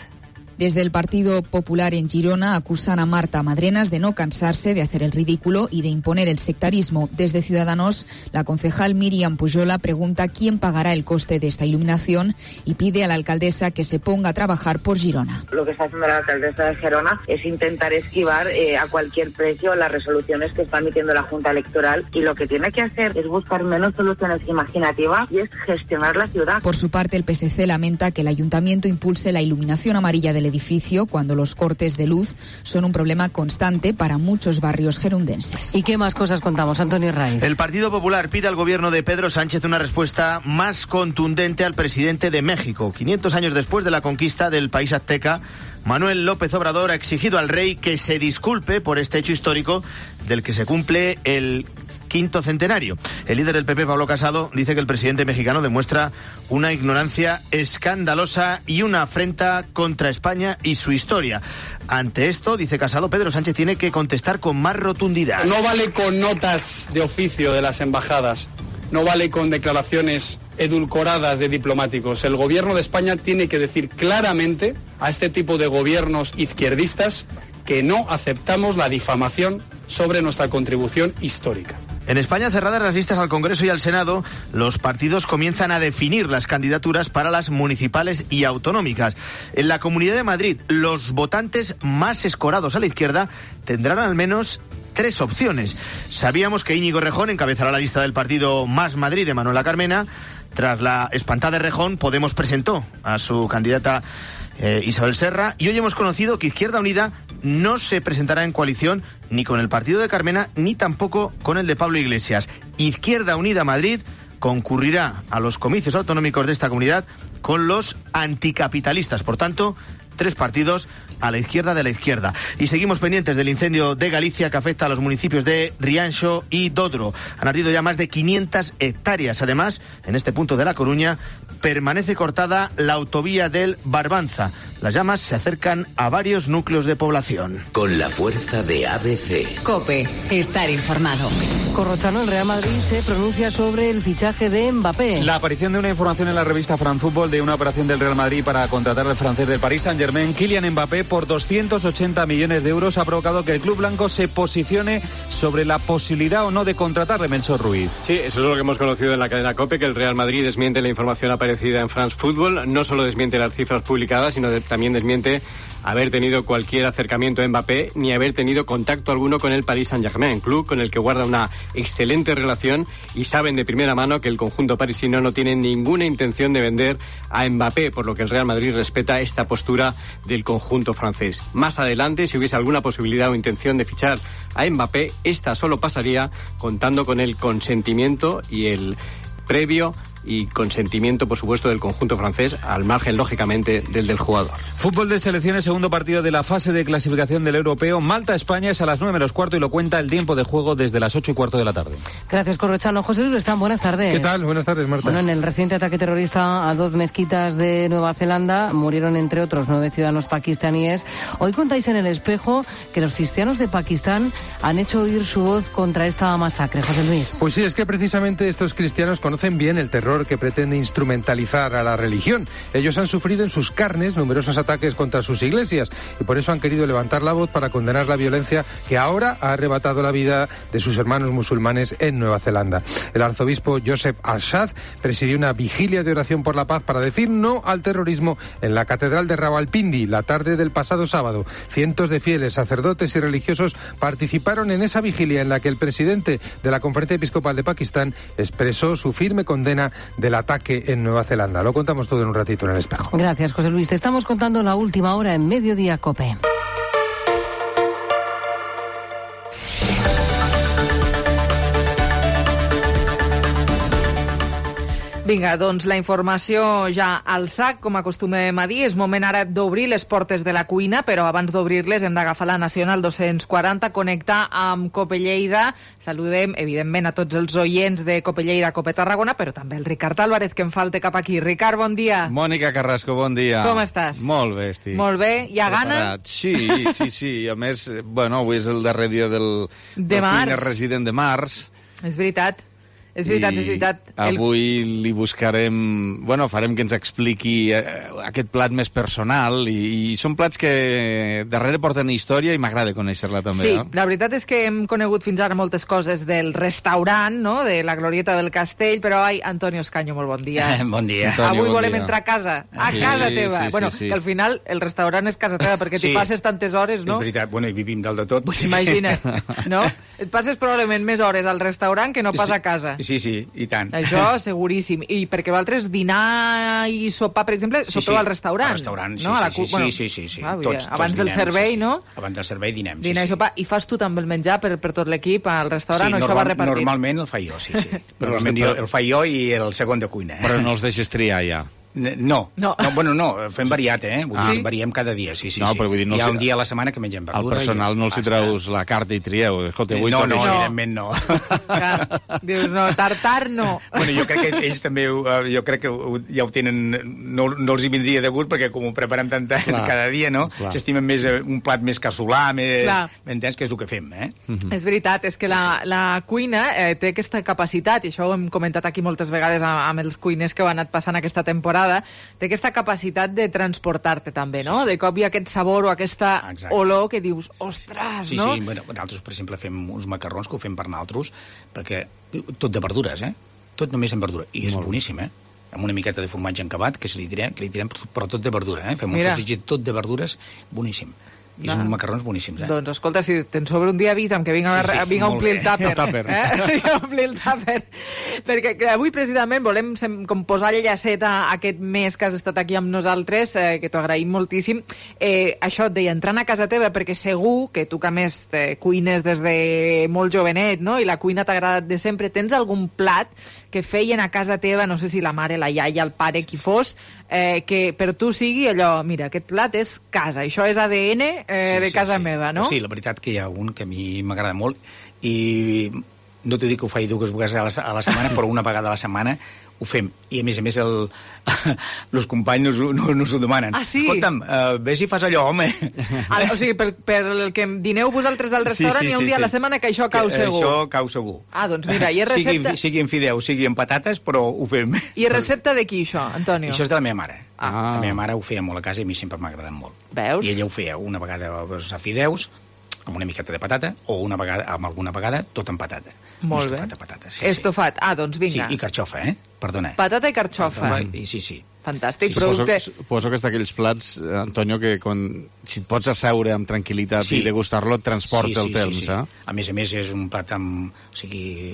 Desde el Partido Popular en Girona acusan a Marta Madrenas de no cansarse de hacer el ridículo y de imponer el sectarismo. Desde Ciudadanos, la concejal Míriam Pujola pregunta quién pagará el coste de esta iluminación y pide a la alcaldesa que se ponga a trabajar por Girona. Lo que está haciendo la alcaldesa de Gerona es intentar esquivar a cualquier precio las resoluciones que está emitiendo la Junta Electoral, y lo que tiene que hacer es buscar menos soluciones imaginativas y es gestionar la ciudad. Por su parte, el PSC lamenta que el ayuntamiento impulse la iluminación amarilla del edificio cuando los cortes de luz son un problema constante para muchos barrios gerundenses. ¿Y qué más cosas contamos, Antonio Raiz? El Partido Popular pide al gobierno de Pedro Sánchez una respuesta más contundente al presidente de México. 500 años después de la conquista del país azteca, Manuel López Obrador ha exigido al rey que se disculpe por este hecho histórico del que se cumple el 5º centenario. El líder del PP, Pablo Casado, dice que el presidente mexicano demuestra una ignorancia escandalosa y una afrenta contra España y su historia. Ante esto, dice Casado, Pedro Sánchez tiene que contestar con más rotundidad. No vale con notas de oficio de las embajadas, no vale con declaraciones edulcoradas de diplomáticos. El gobierno de España tiene que decir claramente a este tipo de gobiernos izquierdistas que no aceptamos la difamación sobre nuestra contribución histórica. En España, cerradas las listas al Congreso y al Senado, los partidos comienzan a definir las candidaturas para las municipales y autonómicas. En la Comunidad de Madrid, los votantes más escorados a la izquierda tendrán al menos 3 opciones. Sabíamos que Íñigo Errejón encabezará la lista del partido Más Madrid de Manuela Carmena. Tras la espantada Errejón, Podemos presentó a su candidata Isabel Serra, y hoy hemos conocido que Izquierda Unida no se presentará en coalición ni con el partido de Carmena ni tampoco con el de Pablo Iglesias. Izquierda Unida Madrid concurrirá a los comicios autonómicos de esta comunidad con los anticapitalistas. Por tanto, 3 partidos a la izquierda de la izquierda. Y seguimos pendientes del incendio de Galicia que afecta a los municipios de Rianxo y Dodro. Han ardido ya más de 500 hectáreas. Además, en este punto de La Coruña permanece cortada la autovía del Barbanza. Las llamas se acercan a varios núcleos de población. Con la fuerza de ABC. COPE, estar informado. Corrochano, el Real Madrid se pronuncia sobre el fichaje de Mbappé. La aparición de una información en la revista France Football de una operación del Real Madrid para contratar al francés del Paris Saint-Germain Saint-Germain, Kylian Mbappé, por 280 millones de euros, ha provocado que el club blanco se posicione sobre la posibilidad o no de contratarle, Melchor Ruiz. Sí, eso es lo que hemos conocido en la cadena COPE, que el Real Madrid desmiente la información aparecida en France Football. No solo desmiente las cifras publicadas, sino también desmiente haber tenido cualquier acercamiento a Mbappé ni haber tenido contacto alguno con el Paris Saint-Germain, club con el que guarda una excelente relación, y saben de primera mano que el conjunto parisino no tiene ninguna intención de vender a Mbappé, por lo que el Real Madrid respeta esta postura del conjunto francés. Más adelante, si hubiese alguna posibilidad o intención de fichar a Mbappé, esta solo pasaría contando con el consentimiento y el previo y consentimiento, por supuesto, del conjunto francés, al margen, lógicamente, del jugador. Fútbol de selecciones, segundo partido de la fase de clasificación del europeo. Malta-España es a las 9:15 y lo cuenta el tiempo de juego desde las 8:15 de la tarde. Gracias, Corrochano. José Luis Lestán, buenas tardes. ¿Qué tal? Buenas tardes, Marta. Bueno, en el reciente ataque terrorista a 2 mezquitas de Nueva Zelanda murieron, entre otros, 9 ciudadanos pakistaníes. Hoy contáis en El Espejo que los cristianos de Pakistán han hecho oír su voz contra esta masacre. José Luis. Pues sí, es que precisamente estos cristianos conocen bien el terror que pretende instrumentalizar a la religión. Ellos han sufrido en sus carnes numerosos ataques contra sus iglesias y por eso han querido levantar la voz para condenar la violencia que ahora ha arrebatado la vida de sus hermanos musulmanes en Nueva Zelanda. El arzobispo Joseph Arshad presidió una vigilia de oración por la paz para decir no al terrorismo en la catedral de Rawalpindi la tarde del pasado sábado. Cientos de fieles, sacerdotes y religiosos participaron en esa vigilia en la que el presidente de la Conferencia Episcopal de Pakistán expresó su firme condena del ataque en Nueva Zelanda. Lo contamos todo en un ratito en El Espejo. Gracias, José Luis. Te estamos contando la última hora en Mediodía COPE. Vinga, doncs la informació ja al sac, com acostumem a dir. És moment ara d'obrir les portes de la cuina, però abans d'obrir-les hem d'agafar la Nacional 240, connectar amb Cope Lleida. Saludem, evidentment, a tots els oients de Cope Lleida, Cope Tarragona, però també el Ricard Álvarez, que em falta cap aquí. Ricard, bon dia. Mònica Carrasco, bon dia. Com estàs? Molt bé, estic. Molt bé. Hi ha gana? Sí. A més, bueno, avui és el darrer dia del cuiner resident de març. És veritat. És veritat. Avui li buscarem... Bueno, farem que ens expliqui aquest plat més personal i són plats que darrere porten història i m'agrada conèixer-la també. Sí, no? La veritat és que hem conegut fins ara moltes coses del restaurant, no?, de la Glorieta del Castell, però Antonio Escaño, molt bon dia. Bon dia. Avui volem entrar a casa, casa teva. Sí. Que al final el restaurant és casa teva, perquè t'hi passes tantes hores, no? És veritat, bueno, i vivim dalt de tot. Imagina't, no? Et passes probablement més hores al restaurant que no pas a casa. Sí, i tant. Això seguríssim. I perquè vosaltres dinar i sopar, per exemple, sopeu al restaurant. Al restaurant, sí, no? Sí. Tots abans del servei, no? Abans del servei dinem, dinar i sopar. I fas tu també el menjar per tot l'equip al restaurant, o això va repartit? Normalment el faig jo, sí. Normalment el faig jo i el segon de cuina. Però no els deixes triar ja. No, fem variat, variem cada dia, sí. Però vull dir, hi ha un dia a la setmana que mengem verdura. Al personal no els hi treus la carta i trieu. Escolta, avui evidentment no. Dius, no, tartar no. Bueno, jo crec que ells també, jo crec que ja ho tenen, no els hi vindria de gust, perquè com ho preparem tant cada dia, no? S'estimen més un plat més casolà, m'entens, que és el que fem, És veritat, és que la cuina té aquesta capacitat, i això ho hem comentat aquí moltes vegades amb els cuiners que ho han anat passant aquesta temporada, té aquesta capacitat de transportar-te també, no? De cop hi ha aquest sabor o aquesta olor que dius, ostres, no? Sí, bueno, nosaltres, per exemple, fem uns macarrons que ho fem per nosaltres, perquè tot de verdures, tot només en verdura, i és boníssim, amb una miqueta de formatge encabat, que li tirem, però tot de verdura, fem un sofregit tot de verdures, boníssim. I són macarrons boníssims, Doncs, escolta, si te'n sobra un dia, avisa'm que vinc a omplir el tàper. Vinc a omplir el tàper. Perquè avui, precisament, volem posar el llacet a aquest mes que has estat aquí amb nosaltres, que t'ho agraïm moltíssim. Això et deia, entrant a casa teva, perquè segur que tu, que a més cuines des de molt jovenet, no?, i la cuina t'ha agradat de sempre, tens algun plat que feien a casa teva, no sé si la mare, la iaia, el pare, qui fos, que per tu sigui allò, mira, aquest plat és casa, això és ADN de casa meva, no? Sí, la veritat que hi ha un que a mi m'agrada molt, i no t'ho dic que ho faig 2 vegades a la setmana, però una vegada a la setmana ho fem. I a més els companys nos ho demanen. Ah, sí? Escolta'm, ves i fas allò, home. O sigui, per el que dineu vosaltres al restaurant, hi ha un dia a la setmana que això cau segur. Això cau segur. Ah, doncs mira, i és recepta... Sigui en fideus, sigui en patates, però ho fem. I és recepta de qui, això, Antonio? Això és de la meva mare. La meva mare ho feia molt a casa i a mi sempre m'ha agradat molt. Veus? I ella ho feia una vegada a fideus, amb una miqueta de patata, o alguna vegada tot amb patata. Molt bé. Estofat de patata. Estofat. Ah, doncs vinga. Sí, i carxofa, Perdona. Patata i carxofa. Sí. Fantàstic. Suposo que és d'aquells plats, Antonio, que si et pots asseure amb tranquil·litat i degustar-lo et transporta el temps. A més, és un plat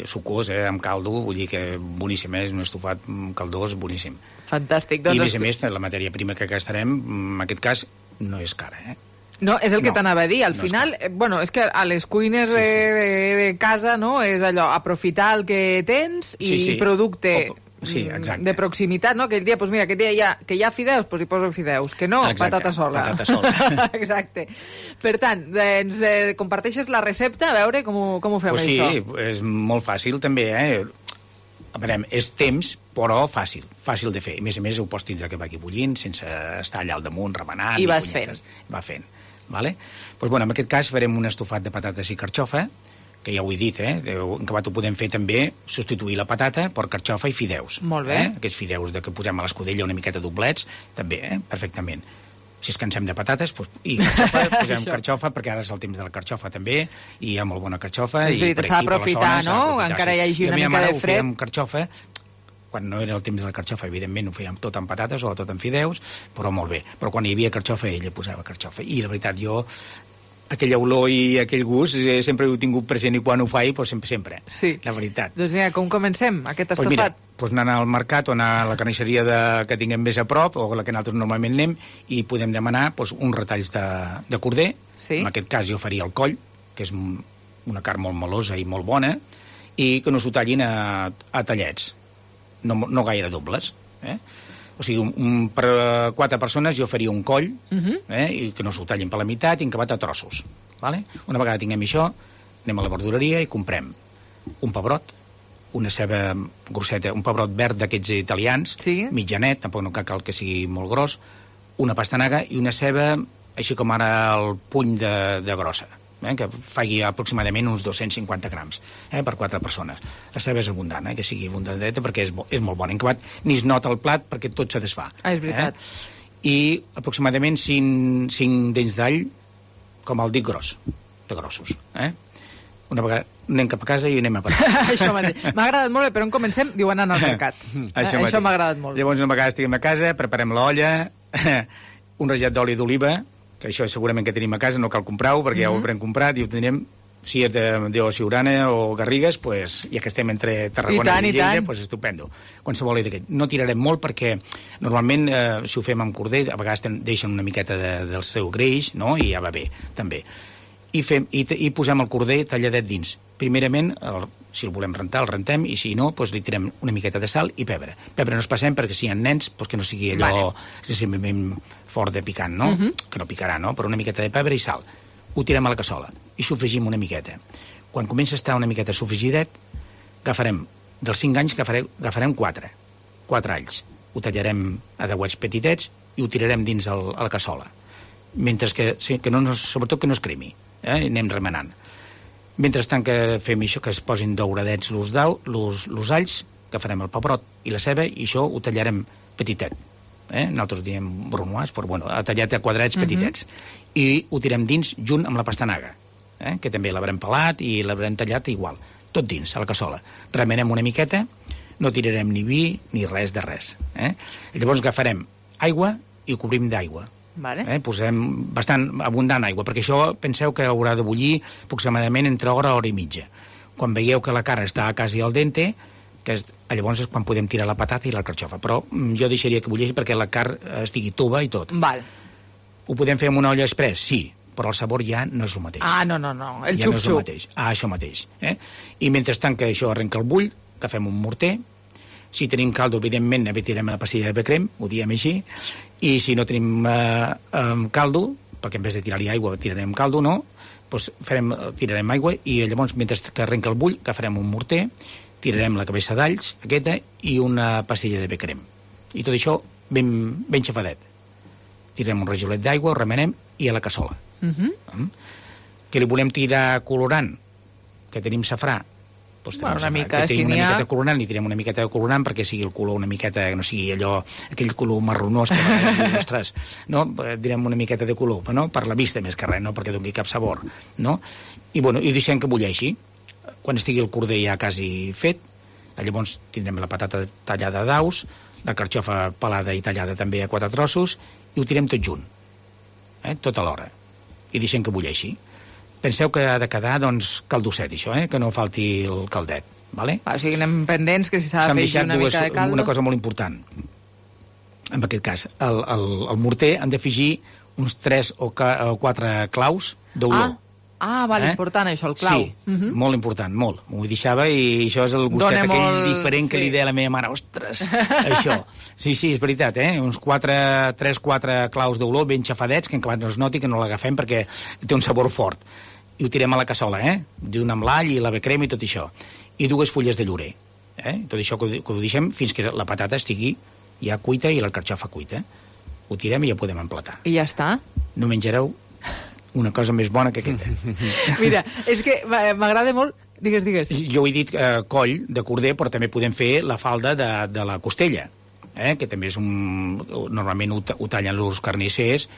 sucós, amb caldo, vull dir que boníssim, és un estofat caldós boníssim. Fantàstic. I a més, la matèria prima que gastarem, en aquest cas, no és cara, No, és el que t'anava a dir. Al final, és que a les cuines de casa, no, és allò, aprofitar el que tens i producte de proximitat, no? Aquell dia, doncs mira, aquest dia que hi ha fideus, doncs hi poso fideus. Que no, patata sola. Exacte. Per tant, ens comparteixes la recepta, a veure com ho fem, això. Sí, és molt fàcil, també, A veure, és temps, però fàcil de fer. A més, ho pots tindre que vagi bullint, sense estar allà al damunt, remenant. I vas fent. Va fent. Vale? Pues, en aquest cas farem un estofat de patates i carxofa, que ja ho he dit, en acabat ho podem fer també, substituir la patata per carxofa i fideus. Molt bé. Aquests fideus que posem a l'escudella una miqueta doblets, també, perfectament. Si es cansem de patates, i carxofa, posem carxofa, perquè ara és el temps de la carxofa també, i hi ha molt bona carxofa. És veritat, s'ha d'aprofitar, no? Encara hi hagi una mica de fred. Ho fèiem carxofa, quan no era el temps de la carxofa, evidentment ho fèiem tot amb patates o tot amb fideus, però molt bé. Però quan hi havia carxofa, ella posava carxofa. I la veritat, jo, aquella olor i aquell gust, sempre ho he tingut present i quan ho faig, doncs sempre. Sí. La veritat. Doncs mira, com comencem aquest estofat? Mira, anar al mercat o anar a la carnisseria que tinguem més a prop, o la que nosaltres normalment anem, i podem demanar uns retalls de corder. Sí. En aquest cas jo faria el coll, que és una carn molt melosa i molt bona, i que no s'ho tallin a tallets. No gaire dobles. O sigui, per 4 persones jo faria un coll, i que no s'ho tallin per la meitat i encabat a trossos. Vale? Una vegada tinguem això, anem a la verdureria i comprem un pebrot, una ceba grosseta, un pebrot verd d'aquests italians, mitjanet, tampoc no cal que sigui molt gros, una pastanaga i una ceba, així com ara el puny de grossa, que faci aproximadament uns 250 grams per 4 persones. La ceba és abundant, que sigui abundanteta perquè és molt bona. En acabat ni es nota el plat perquè tot se desfà. És veritat. I aproximadament 5 dents d'all com el dit gros, de grossos. Una vegada anem cap a casa i anem a parar. Això m'ha agradat molt, però on comencem? Diu anant al mercat. Això m'ha agradat molt. Llavors, una vegada estiguem a casa, preparem l'olla, un rajat d'oli d'oliva, que això segurament que tenim a casa, no cal comprar-ho, perquè ja ho haurem comprat i ho tindrem, si és de Siurana o Garrigues, ja que estem entre Tarragona i Lleida, estupendo. Qualsevol d'aquest. No tirarem molt perquè normalment, si ho fem amb corder, a vegades deixen una miqueta del seu greix, i ja va bé, també. I posem el corder talladet dins. Primerament, si el volem rentar, el rentem, i si no, li tirem una miqueta de sal i pebre. Pebre no es passem perquè si hi ha nens, que no sigui allò simplement fort de picant, no? Que no picarà, no? Però una miqueta de pebre i sal. Ho tirem a la cassola i sofregim una miqueta. Quan comença a estar una miqueta sofregidet, agafarem, dels 5 anys, agafarem 4 alls. Ho tallarem a deuets petitets i ho tirarem dins a la cassola. Mentre que sobretot que no es cremi. Anem remenant. Mentrestant que fem això, que es posin dauradets los alls, que farem el pebrot i la ceba, i això ho tallarem petitet. Nosaltres diem brunoise, però tallat a quadrats petitets. I ho tirem dins junt amb la pastanaga, que també l'haurem pelat i l'haurem tallat igual. Tot dins, a la cassola. Remenem una miqueta, no tirarem ni vi ni res de res. Llavors agafarem aigua i ho cobrim d'aigua. Posem bastant abundant aigua, perquè això penseu que haurà de bullir aproximadament entre hora i mitja. Quan veieu que la carn està quasi al dente, llavors és quan podem tirar la patata i la carxofa. Però jo deixaria que bulleixi perquè la carn estigui tova i tot. Ho podem fer amb una olla express? Sí, però el sabor ja no és el mateix. No. El xup-xup. Això mateix. I mentrestant que això arrenca el bull, agafem un morter. Si tenim caldo, evidentment, tirem la pastilla de crem, ho diem així, i si no tenim caldo, perquè en vez de tirar-hi aigua tirarem caldo, no, doncs tirarem aigua i llavors, mentre que arrenca el bull, agafarem un morter, tirarem la cabeça d'alls, aquesta, i una pastilla de becrem. I tot això ben xafadet. Tirem un rajolet d'aigua, ho remenem, i a la cassola. Que li volem tirar colorant, que tenim safrà, doncs una mica, que tenim una miqueta de colorant, li tirem una miqueta de colorant perquè sigui el color una miqueta, no sigui allò, aquell color marronós que ostres, no? Direm una miqueta de color, no? Per la vista més que res, no perquè doni cap sabor, no? I deixem que bulleixi. Quan estigui el corder ja quasi fet, llavors tindrem la patata tallada a daus, la carxofa pelada i tallada també a 4 trossos, i ho tirem tot junt, tot alhora, i deixem que bulleixi. Penseu que ha de quedar, doncs, caldosset, això, que no falti el caldet, vale? O sigui, anem pendents que si s'ha de fer una mica de caldo... Una cosa molt important, en aquest cas, el morter han d'afegir uns 3 o 4 claus d'olor. Vale, important això, el clau. Sí, molt important, molt. M'ho deixava i això és el gustet aquell diferent que li deia la meva mare. Ostres, això. Sí, és veritat, uns 3-4 claus d'olor ben xafadets, que en acabat no es noti, que no l'agafem perquè té un sabor fort. I ho tirem a la cassola, junt amb l'all i la becrema i tot això. I 2 fulles de llorer. Tot això que ho deixem fins que la patata estigui ja cuita i la carxofa cuita. Ho tirem i ja podem emplatar. I ja està? No menjareu una cosa més bona que aquesta. Mira, és que m'agrada molt... Digues. Jo he dit coll de corder, però també podem fer la falda de la costella, que també és normalment ho tallen els carnissers,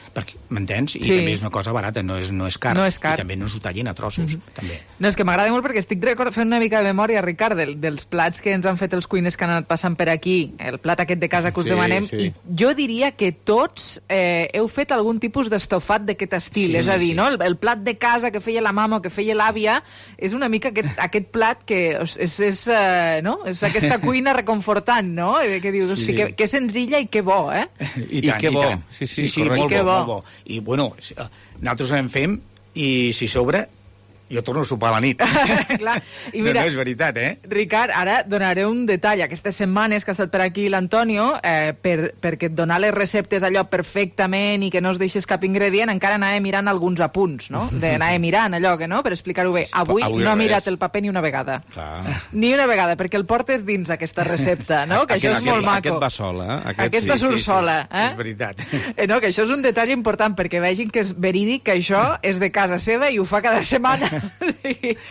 m'entens? I també és una cosa barata, no és car. No és car. I també no s'ho tallin a trossos, també. No, és que m'agrada molt perquè estic fent una mica de memòria, Ricard, dels plats que ens han fet els cuiners que han anat passant per aquí, el plat aquest de casa que us demanem, i jo diria que tots heu fet algun tipus d'estofat d'aquest estil, és a dir, no? El plat de casa que feia la mama o que feia l'àvia és una mica aquest plat que és aquesta cuina reconfortant, no? Que dius, hosti, que senzilla i que bo, I que bo. Sí, molt bo. I, bueno, nosaltres en fem i si sobra, jo torno a sopar a la nit. Clar. I mira, no és veritat, Ricard, ara donaré un detall. Aquestes setmanes que ha estat per aquí l'Antonio, perquè et donar les receptes allò perfectament i que no es deixes cap ingredient, encara anava mirant alguns apunts, no? Anava mirant allò, que no? Per explicar-ho bé. Avui no ha mirat el paper ni una vegada. Ni una vegada, perquè el portes dins aquesta recepta, no? Que això és molt maco. Aquest va sola, Aquesta surt sola, És veritat. No, que això és un detall important, perquè vegin que és verídic, que això és de casa seva i ho fa cada setmana.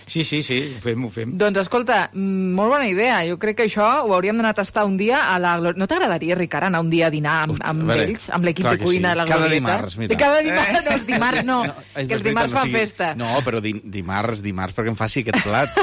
Sí, ho fem. Doncs escolta, molt bona idea. Jo crec que això ho hauríem d'anar a tastar un dia a la Glorieta. No t'agradaria, Ricard, anar un dia a dinar amb ells, amb l'equip de cuina de la Glorieta? Cada dimarts, mira. Cada dimarts, no, els dimarts no, que els dimarts fan festa. No, però dimarts, perquè em faci aquest plat.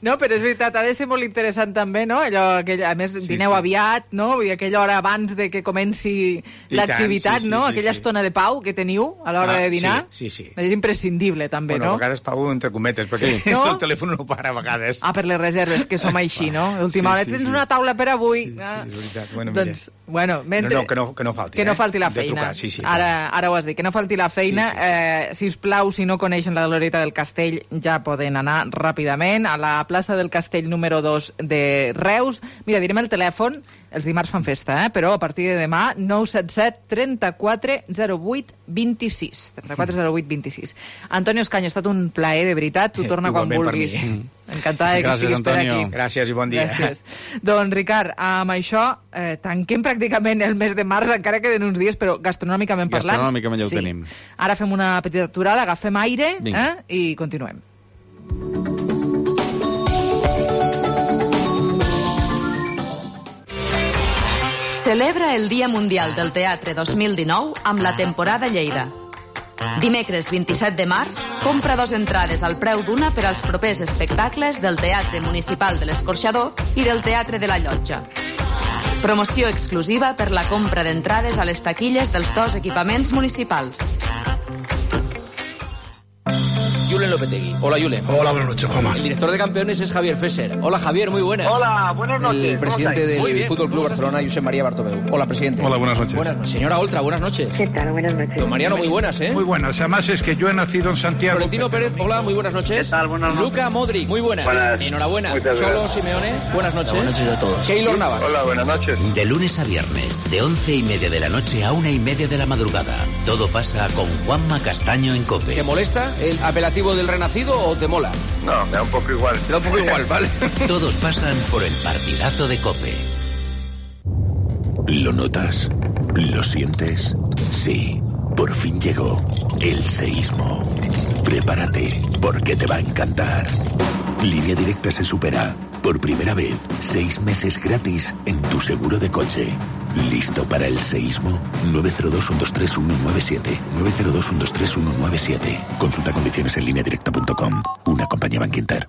No, però és veritat, ha de ser molt interessant també, no? Allò, a més, dineu aviat, no? Vull dir, aquella hora abans de que comenci l'activitat, no? Aquella estona de pau que teniu a l'hora de dinar. Sí. És imprescindible, també, no? A vegades pau entre cometes, perquè el telèfon no para a vegades. Per les reserves, que som així, no? Última hora, tens una taula per avui. Sí, és veritat. Bueno, doncs, mentre... que no falti. Que no falti la feina. Ara ho has dit, que no falti la feina. Sisplau, si no coneixen la Glorieta del Castell, ja poden anar ràpidament a la plaça del Castell número 2 de Reus. Mira, direm el telèfon, els dimarts fan festa, però a partir de demà, 977 34 08 26. 34 08 26. Antonio Escaño, ha estat un plaer, de veritat. Tu torna quan vulguis. Encantada que estiguis per aquí. Gràcies i bon dia. Gràcies. Doncs, Ricard, amb això tanquem pràcticament el mes de març, encara queden uns dies, però gastronòmicament parlant... Gastronòmicament ja ho tenim. Ara fem una petita aturada, agafem aire i continuem. Celebra el Dia Mundial del Teatre 2019 amb la temporada Lleida. Dimecres 27 de març, compra 2 entrades al preu d'una per als propers espectacles del Teatre Municipal de l'Escorxador i del Teatre de la Llotja. Promoció exclusiva per la compra d'entrades a les taquilles dels 2 equipaments municipals. Julen Lopetegui. Hola, Julen. Hola, buenas noches, Juanma. El director de campeones es Javier Fesser. Hola, Javier, muy buenas. Hola, buenas noches. El presidente del Fútbol Club Barcelona, Josep María Bartomeu. Hola, presidente. Hola, buenas noches. Buenas noches. Señora Oltra, buenas noches. ¿Qué tal? Buenas noches. Don Mariano, muy buenas, ¿eh? Muy buenas. Además es que yo he nacido en Santiago. Florentino Pérez, hola, muy buenas noches. ¿Qué tal? Buenas noches. Luka Modric, muy buenas. Enhorabuena. Cholo Simeone, buenas noches. Buenas noches a todos. Keylor Navas. Hola, buenas noches. De lunes a viernes, de 11:30 de la noche a 1:30 de la madrugada. Todo pasa con Juanma Castaño en COPE. ¿Te molesta el apelativo algo del Renacido o te mola? No, me da un poco igual. Te da un poco igual, ¿vale? Todos pasan por el partidazo de COPE. ¿Lo notas? ¿Lo sientes? Sí, por fin llegó el seísmo. Prepárate, porque te va a encantar. Línea Directa se supera. Por primera vez, 6 meses gratis en tu seguro de coche. ¿Listo para el seísmo? 902-123-197. 902-123-197. Consulta condiciones en lineadirecta.com. Una compañía Bankinter.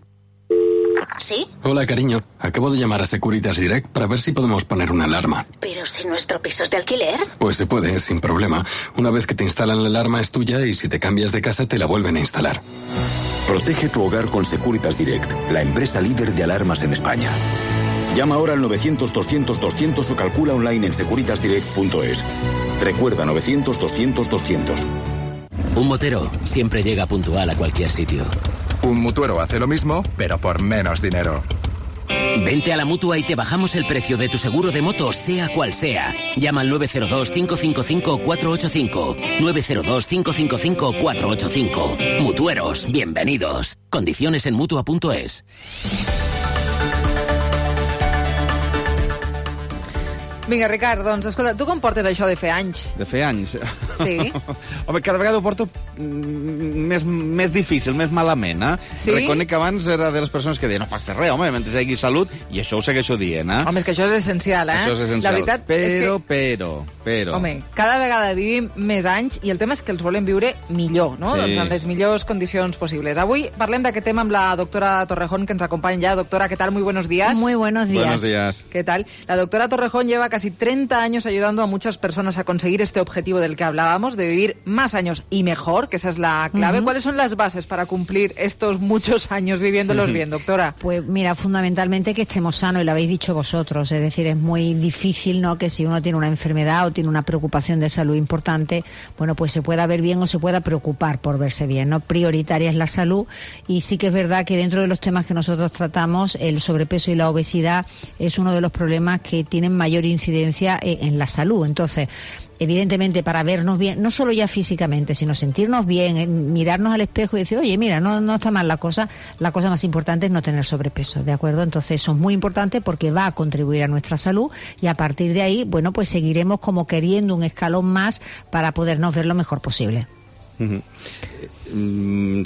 ¿Sí? Hola, cariño. Acabo de llamar a Securitas Direct para ver si podemos poner una alarma. ¿Pero si nuestro piso es de alquiler? Pues se puede, sin problema. Una vez que te instalan la alarma es tuya y si te cambias de casa te la vuelven a instalar. Protege tu hogar con Securitas Direct, la empresa líder de alarmas en España. Llama ahora al 900-200-200 o calcula online en securitasdirect.es. Recuerda, 900-200-200. Un motero siempre llega puntual a cualquier sitio. Un mutuero hace lo mismo, pero por menos dinero. Vente a la Mutua y te bajamos el precio de tu seguro de moto, sea cual sea. Llama al 902-555-485. 902-555-485. Mutueros, bienvenidos. Condiciones en Mutua.es. Vinga, Ricard, doncs, escolta, tu com portes això de fer anys? De fer anys? Sí. Home, cada vegada ho porto més difícil, més malament, eh? Sí? Reconec que abans era de les persones que deien no passa res, home, mentre hi hagi salut, i això ho segueixo dient, eh? Home, és que això és essencial, eh? Això és essencial. La veritat és que... Però... Home, cada vegada vivim més anys i el tema és que els volem viure millor, no? Sí. Doncs en les millors condicions possibles. Avui parlem d'aquest tema amb la doctora Torrejón, que ens acompanya ja. Doctora, ¿qué tal? Muy buenos días. Muy buenos días. Buenos días. ¿Qué tal? La doctora Torrejón lleva casi 30 años ayudando a muchas personas a conseguir este objetivo del que hablábamos, de vivir más años y mejor, que esa es la clave. ¿Cuáles son las bases para cumplir estos muchos años viviéndolos bien, doctora? Pues mira, fundamentalmente que estemos sanos, y lo habéis dicho vosotros. Es decir, es muy difícil, ¿no?, que si uno tiene una enfermedad o tiene una preocupación de salud importante, bueno, pues se pueda ver bien o se pueda preocupar por verse bien, ¿no? Prioritaria es la salud, y sí que es verdad que dentro de los temas que nosotros tratamos, el sobrepeso y la obesidad es uno de los problemas que tienen mayor incidencia en la salud. Entonces, evidentemente, para vernos bien, no solo ya físicamente, sino sentirnos bien, mirarnos al espejo y decir, oye, mira, no está mal la cosa más importante es no tener sobrepeso, ¿de acuerdo? Entonces eso es muy importante porque va a contribuir a nuestra salud, y a partir de ahí, bueno, pues seguiremos como queriendo un escalón más para podernos ver lo mejor posible.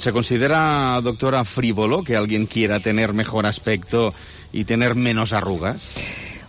¿Se considera, doctora, frívolo que alguien quiera tener mejor aspecto y tener menos arrugas?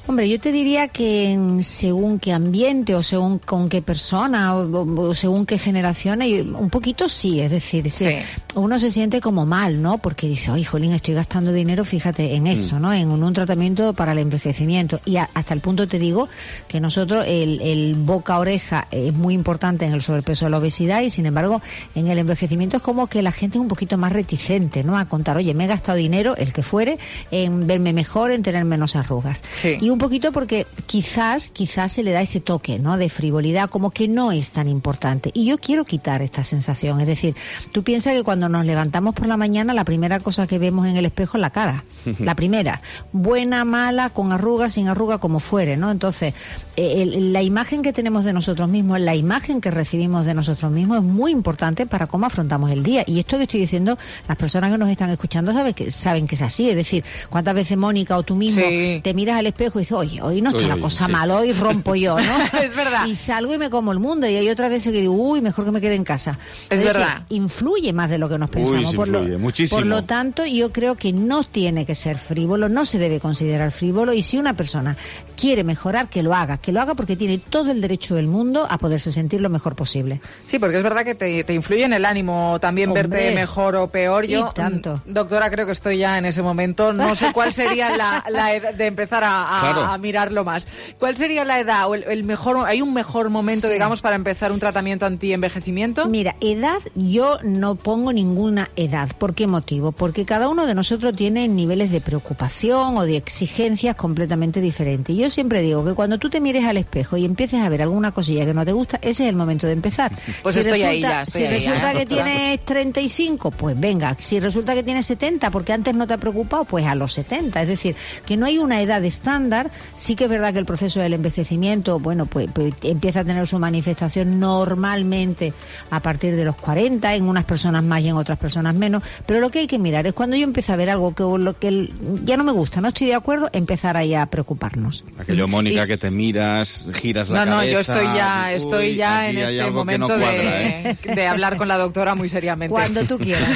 Hombre, yo te diría que según qué ambiente o según con qué persona o según qué generación, un poquito sí, es decir, sí. Uno se siente como mal, ¿no? Porque dice, oye, jolín, estoy gastando dinero, fíjate, en esto, ¿no? En un tratamiento para el envejecimiento. Y hasta el punto te digo que nosotros el boca-oreja es muy importante en el sobrepeso de la obesidad, y sin embargo en el envejecimiento es como que la gente es un poquito más reticente, ¿no?, a contar, oye, me he gastado dinero, el que fuere, en verme mejor, en tener menos arrugas. Sí. Y un poquito porque quizás se le da ese toque, ¿no?, de frivolidad, como que no es tan importante. Y yo quiero quitar esta sensación. Es decir, tú piensas que cuando nos levantamos por la mañana, la primera cosa que vemos en el espejo es la cara. La primera. Buena, mala, con arruga, sin arruga, como fuere, ¿no? Entonces, la imagen que tenemos de nosotros mismos, la imagen que recibimos de nosotros mismos es muy importante para cómo afrontamos el día. Y esto que estoy diciendo, las personas que nos están escuchando saben que es así. Es decir, ¿cuántas veces, Mónica, o tú mismo te miras al espejo y dices, oye, hoy no está la cosa mal, hoy rompo yo, ¿no? Es verdad. Y salgo y me como el mundo, y hay otras veces que digo, uy, mejor que me quede en casa. Es verdad. Influye más de lo que nos pensamos. Muchísimo. Por lo tanto, yo creo que no tiene que ser frívolo, no se debe considerar frívolo, y si una persona quiere mejorar, que lo haga porque tiene todo el derecho del mundo a poderse sentir lo mejor posible. Sí, porque es verdad que te influye en el ánimo también. Hombre, verte mejor o peor. Yo, tanto. Doctora, creo que estoy ya en ese momento. No sé cuál sería la edad de empezar a mirarlo más. ¿Cuál sería la edad o el mejor? ¿Hay un mejor momento, digamos, para empezar un tratamiento anti-envejecimiento? Mira, edad, yo no pongo ninguna edad. ¿Por qué motivo? Porque cada uno de nosotros tiene niveles de preocupación o de exigencias completamente diferentes. Y yo siempre digo que cuando tú te mires al espejo y empieces a ver alguna cosilla que no te gusta, ese es el momento de empezar. Pues si resulta que tienes 35, pues venga. Si resulta que tienes 70, porque antes no te ha preocupado, pues a los 70. Es decir, que no hay una edad estándar estudiar. Sí que es verdad que el proceso del envejecimiento, bueno, pues empieza a tener su manifestación normalmente a partir de los 40, en unas personas más y en otras personas menos, pero lo que hay que mirar es cuando yo empiezo a ver algo que ya no me gusta, no estoy de acuerdo, empezar ahí a preocuparnos. Aquello, Mónica, que te miras, giras la cabeza... No, yo estoy ya en este momento de hablar con la doctora muy seriamente. Cuando tú quieras.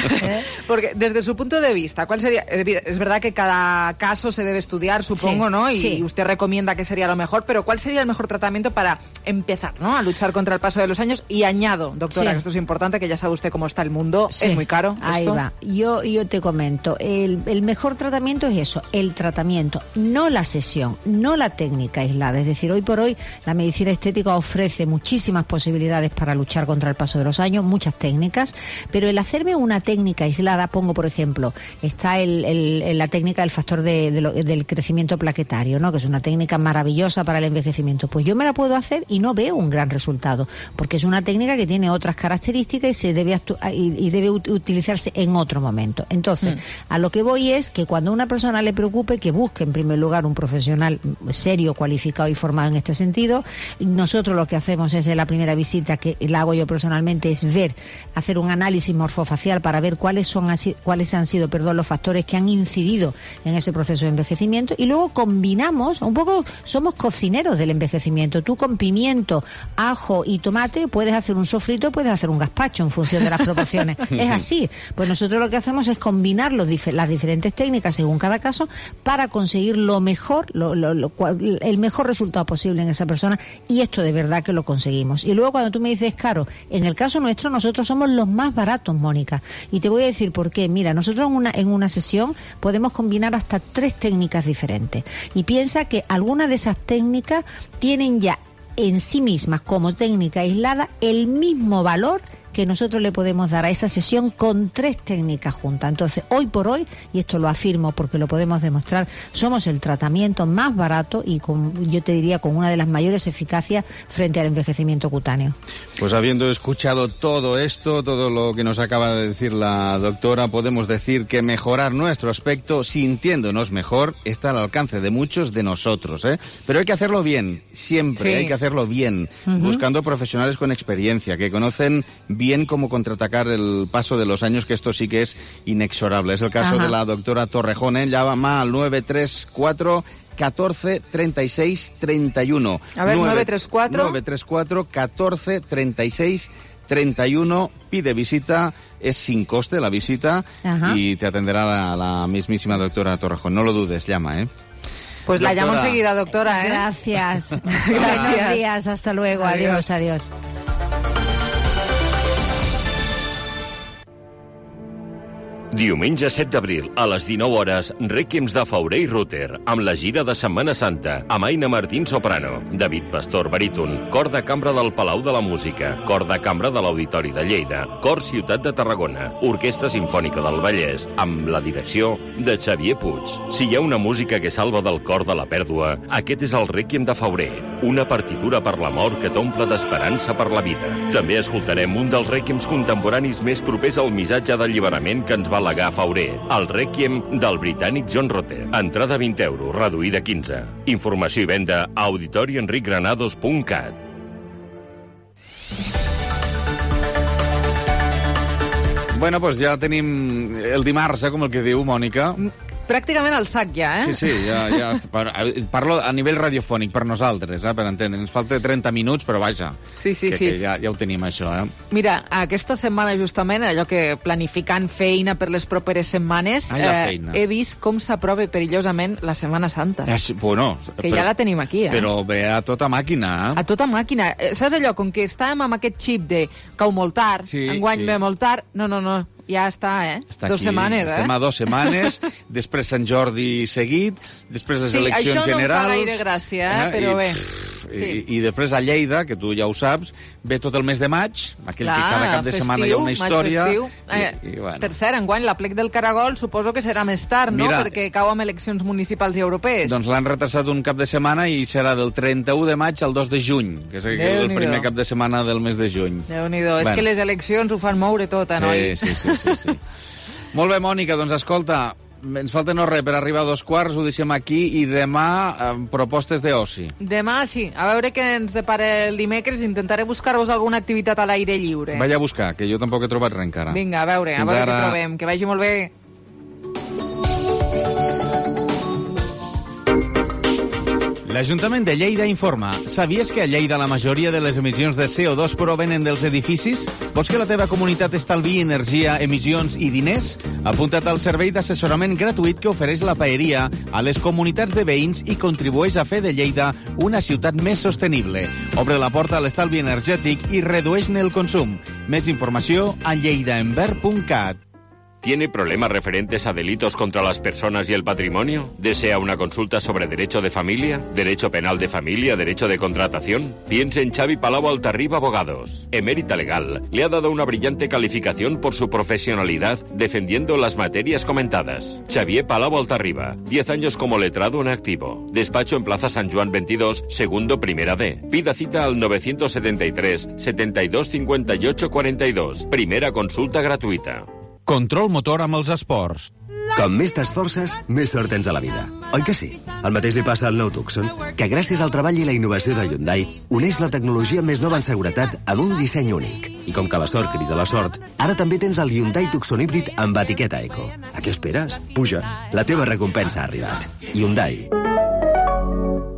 Porque desde su punto de vista, ¿cuál sería? Es verdad que cada caso se debe estudiar, supongo, ¿no? Y usted recomienda que sería lo mejor, pero ¿cuál sería el mejor tratamiento para empezar, ¿no?, a luchar contra el paso de los años? Y añado, doctora, que esto es importante, que ya sabe usted cómo está el mundo, es muy caro. Ahí va. Yo te comento, el mejor tratamiento es eso, el tratamiento, no la sesión, no la técnica aislada. Es decir, hoy por hoy la medicina estética ofrece muchísimas posibilidades para luchar contra el paso de los años, muchas técnicas, pero el hacerme una técnica aislada, pongo por ejemplo, está la técnica del factor del crecimiento plaquetario, ¿no?, que es una técnica maravillosa para el envejecimiento. Pues yo me la puedo hacer y no veo un gran resultado, porque es una técnica que tiene otras características y debe utilizarse en otro momento. Entonces, a lo que voy es que cuando a una persona le preocupe, que busque en primer lugar un profesional serio, cualificado y formado en este sentido. Nosotros lo que hacemos es, en la primera visita, que la hago yo personalmente, es hacer un análisis morfofacial para ver cuáles han sido los factores que han incidido en ese proceso de envejecimiento, y luego combinamos, un poco somos cocineros del envejecimiento. Tú con pimiento, ajo y tomate puedes hacer un sofrito, puedes hacer un gazpacho en función de las proporciones. Es así. Pues nosotros lo que hacemos es combinar las diferentes técnicas según cada caso para conseguir lo mejor, el mejor resultado posible en esa persona, y esto de verdad que lo conseguimos. Y luego cuando tú me dices caro, en el caso nuestro nosotros somos los más baratos, Mónica, y te voy a decir por qué. Mira, nosotros en una sesión podemos combinar hasta 3 técnicas diferentes, y piensa que algunas de esas técnicas tienen ya en sí mismas, como técnica aislada, el mismo valor que nosotros le podemos dar a esa sesión con 3 técnicas juntas. Entonces, hoy por hoy, y esto lo afirmo porque lo podemos demostrar, somos el tratamiento más barato y yo te diría con una de las mayores eficacias frente al envejecimiento cutáneo. Pues habiendo escuchado todo esto, todo lo que nos acaba de decir la doctora, podemos decir que mejorar nuestro aspecto, sintiéndonos mejor, está al alcance de muchos de nosotros, ¿eh? Pero hay que hacerlo bien, siempre hay que hacerlo bien, buscando profesionales con experiencia, que conocen bien cómo contraatacar el paso de los años, que esto sí que es inexorable. Es el caso de la doctora Torrejón, llama al 934 14 36 31. A ver, 934 14 36 31. Pide visita, es sin coste la visita, y te atenderá la mismísima doctora Torrejón. No lo dudes, llama, Pues doctora, la llamo enseguida, doctora, Gracias. Buenos días, hasta luego. Adiós. Diumenge 7 d'abril, a les 19 hores, Rèquiems de Fauré i Rutter, amb la gira de Setmana Santa, amb Aina Martín soprano, David Pastor baríton, Cor de Cambra del Palau de la Música, Cor de Cambra de l'Auditori de Lleida, Cor Ciutat de Tarragona, Orquestra Simfònica del Vallès, amb la direcció de Xavier Puig. Si hi ha una música que salva del cor de la pèrdua, aquest és el Rèquiem de Fauré, una partitura per la mort que t'omple d'esperança per la vida. També escoltarem un dels rèquiems contemporanis més propers al missatge d'alliberament que ens va legar Fauré, el Rèquiem del britànic John Rutter. Entrada 20 euros, reduïda 15. Informació i venda a auditorienricgranados.cat. Bueno, pues ja tenim el dimarts, com el que diu Mònica. Pràcticament al sac ja, Sí, ja parlo a nivell radiofònic per nosaltres, per entendre. Ens falta 30 minuts, però vaja, sí. Que ja ho tenim, això. Mira, aquesta setmana, justament, allò que planificant feina per les properes setmanes, he vist com s'aprova perillosament la Setmana Santa. Bueno, que ja la tenim aquí, Però ve a tota màquina, A tota màquina. Saps allò, com que estàvem amb aquest xip de cau molt tard, enguany ve molt tard, no. Ja està, Està 2 aquí. setmanes, Estem a 2 setmanes, després Sant Jordi seguit, després les eleccions generals... això no em fa gaire gràcia, però bé. I després a Lleida, que tu ja ho saps, ve tot el mes de maig, aquell que cada cap de setmana hi ha una història... I bueno. Per cert, enguany, l'Aplec del Caragol suposo que serà més tard, no? Perquè cau amb eleccions municipals i europees. Doncs l'han retrasat un cap de setmana i serà del 31 de maig al 2 de juny, que és el primer cap de setmana del mes de juny. Déu-n'hi-do, és que les eleccions ho fan moure tot, noi? Sí. Molt bé, Mònica, doncs escolta, ens falta no res per arribar a 2:15, ho deixem aquí, i demà propostes d'oci. Demà sí, a veure què ens depara el dimecres, intentaré buscar-vos alguna activitat a l'aire lliure. Vaig a buscar, que jo tampoc he trobat res encara. Vinga, a veure què trobem, que vagi molt bé. L'Ajuntament de Lleida informa. Sabies que a Lleida la majoria de les emissions de CO2 provenen dels edificis? Vols que la teva comunitat estalviï energia, emissions i diners? Apunta't al servei d'assessorament gratuït que ofereix la Paeria a les comunitats de veïns i contribueix a fer de Lleida una ciutat més sostenible. Obre la porta a l'estalvi energètic i redueix-ne el consum. Més informació a lleidaenvert.cat. ¿Tiene problemas referentes a delitos contra las personas y el patrimonio? ¿Desea una consulta sobre derecho de familia, derecho penal de familia, derecho de contratación? Piense en Xavi Palau Altarriba Abogados. Emérita Legal le ha dado una brillante calificación por su profesionalidad defendiendo las materias comentadas. Xavier Palau Altarriba, 10 años como letrado en activo. Despacho en Plaza San Juan 22, segundo primera D. Pida cita al 973 72 58 42. Primera consulta gratuïta. Control motor amb els esports. Com més t'esforces, més sort tens a la vida. Oi que sí? El mateix li passa al nou Tucson, que gràcies al treball i la innovació de Hyundai uneix la tecnologia més nova en seguretat amb un disseny únic. I com que la sort crida la sort, ara també tens el Hyundai Tucson híbrid amb etiqueta Eco. A què esperes? Puja, la teva recompensa ha arribat. Hyundai.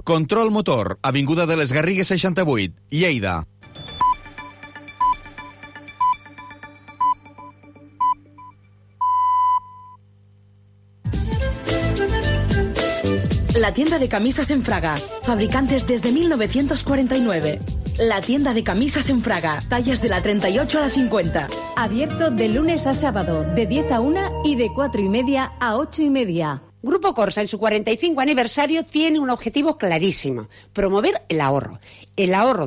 Control motor, avinguda de les Garrigues 68, Lleida. La tienda de camisas en Fraga, fabricantes desde 1949. La tienda de camisas en Fraga, tallas de la 38 a la 50. Abierto de lunes a sábado, de 10 a 1 y de 4:30 a 8:30. Grupo Corsa, en su 45 aniversario, tiene un objetivo clarísimo: promover el ahorro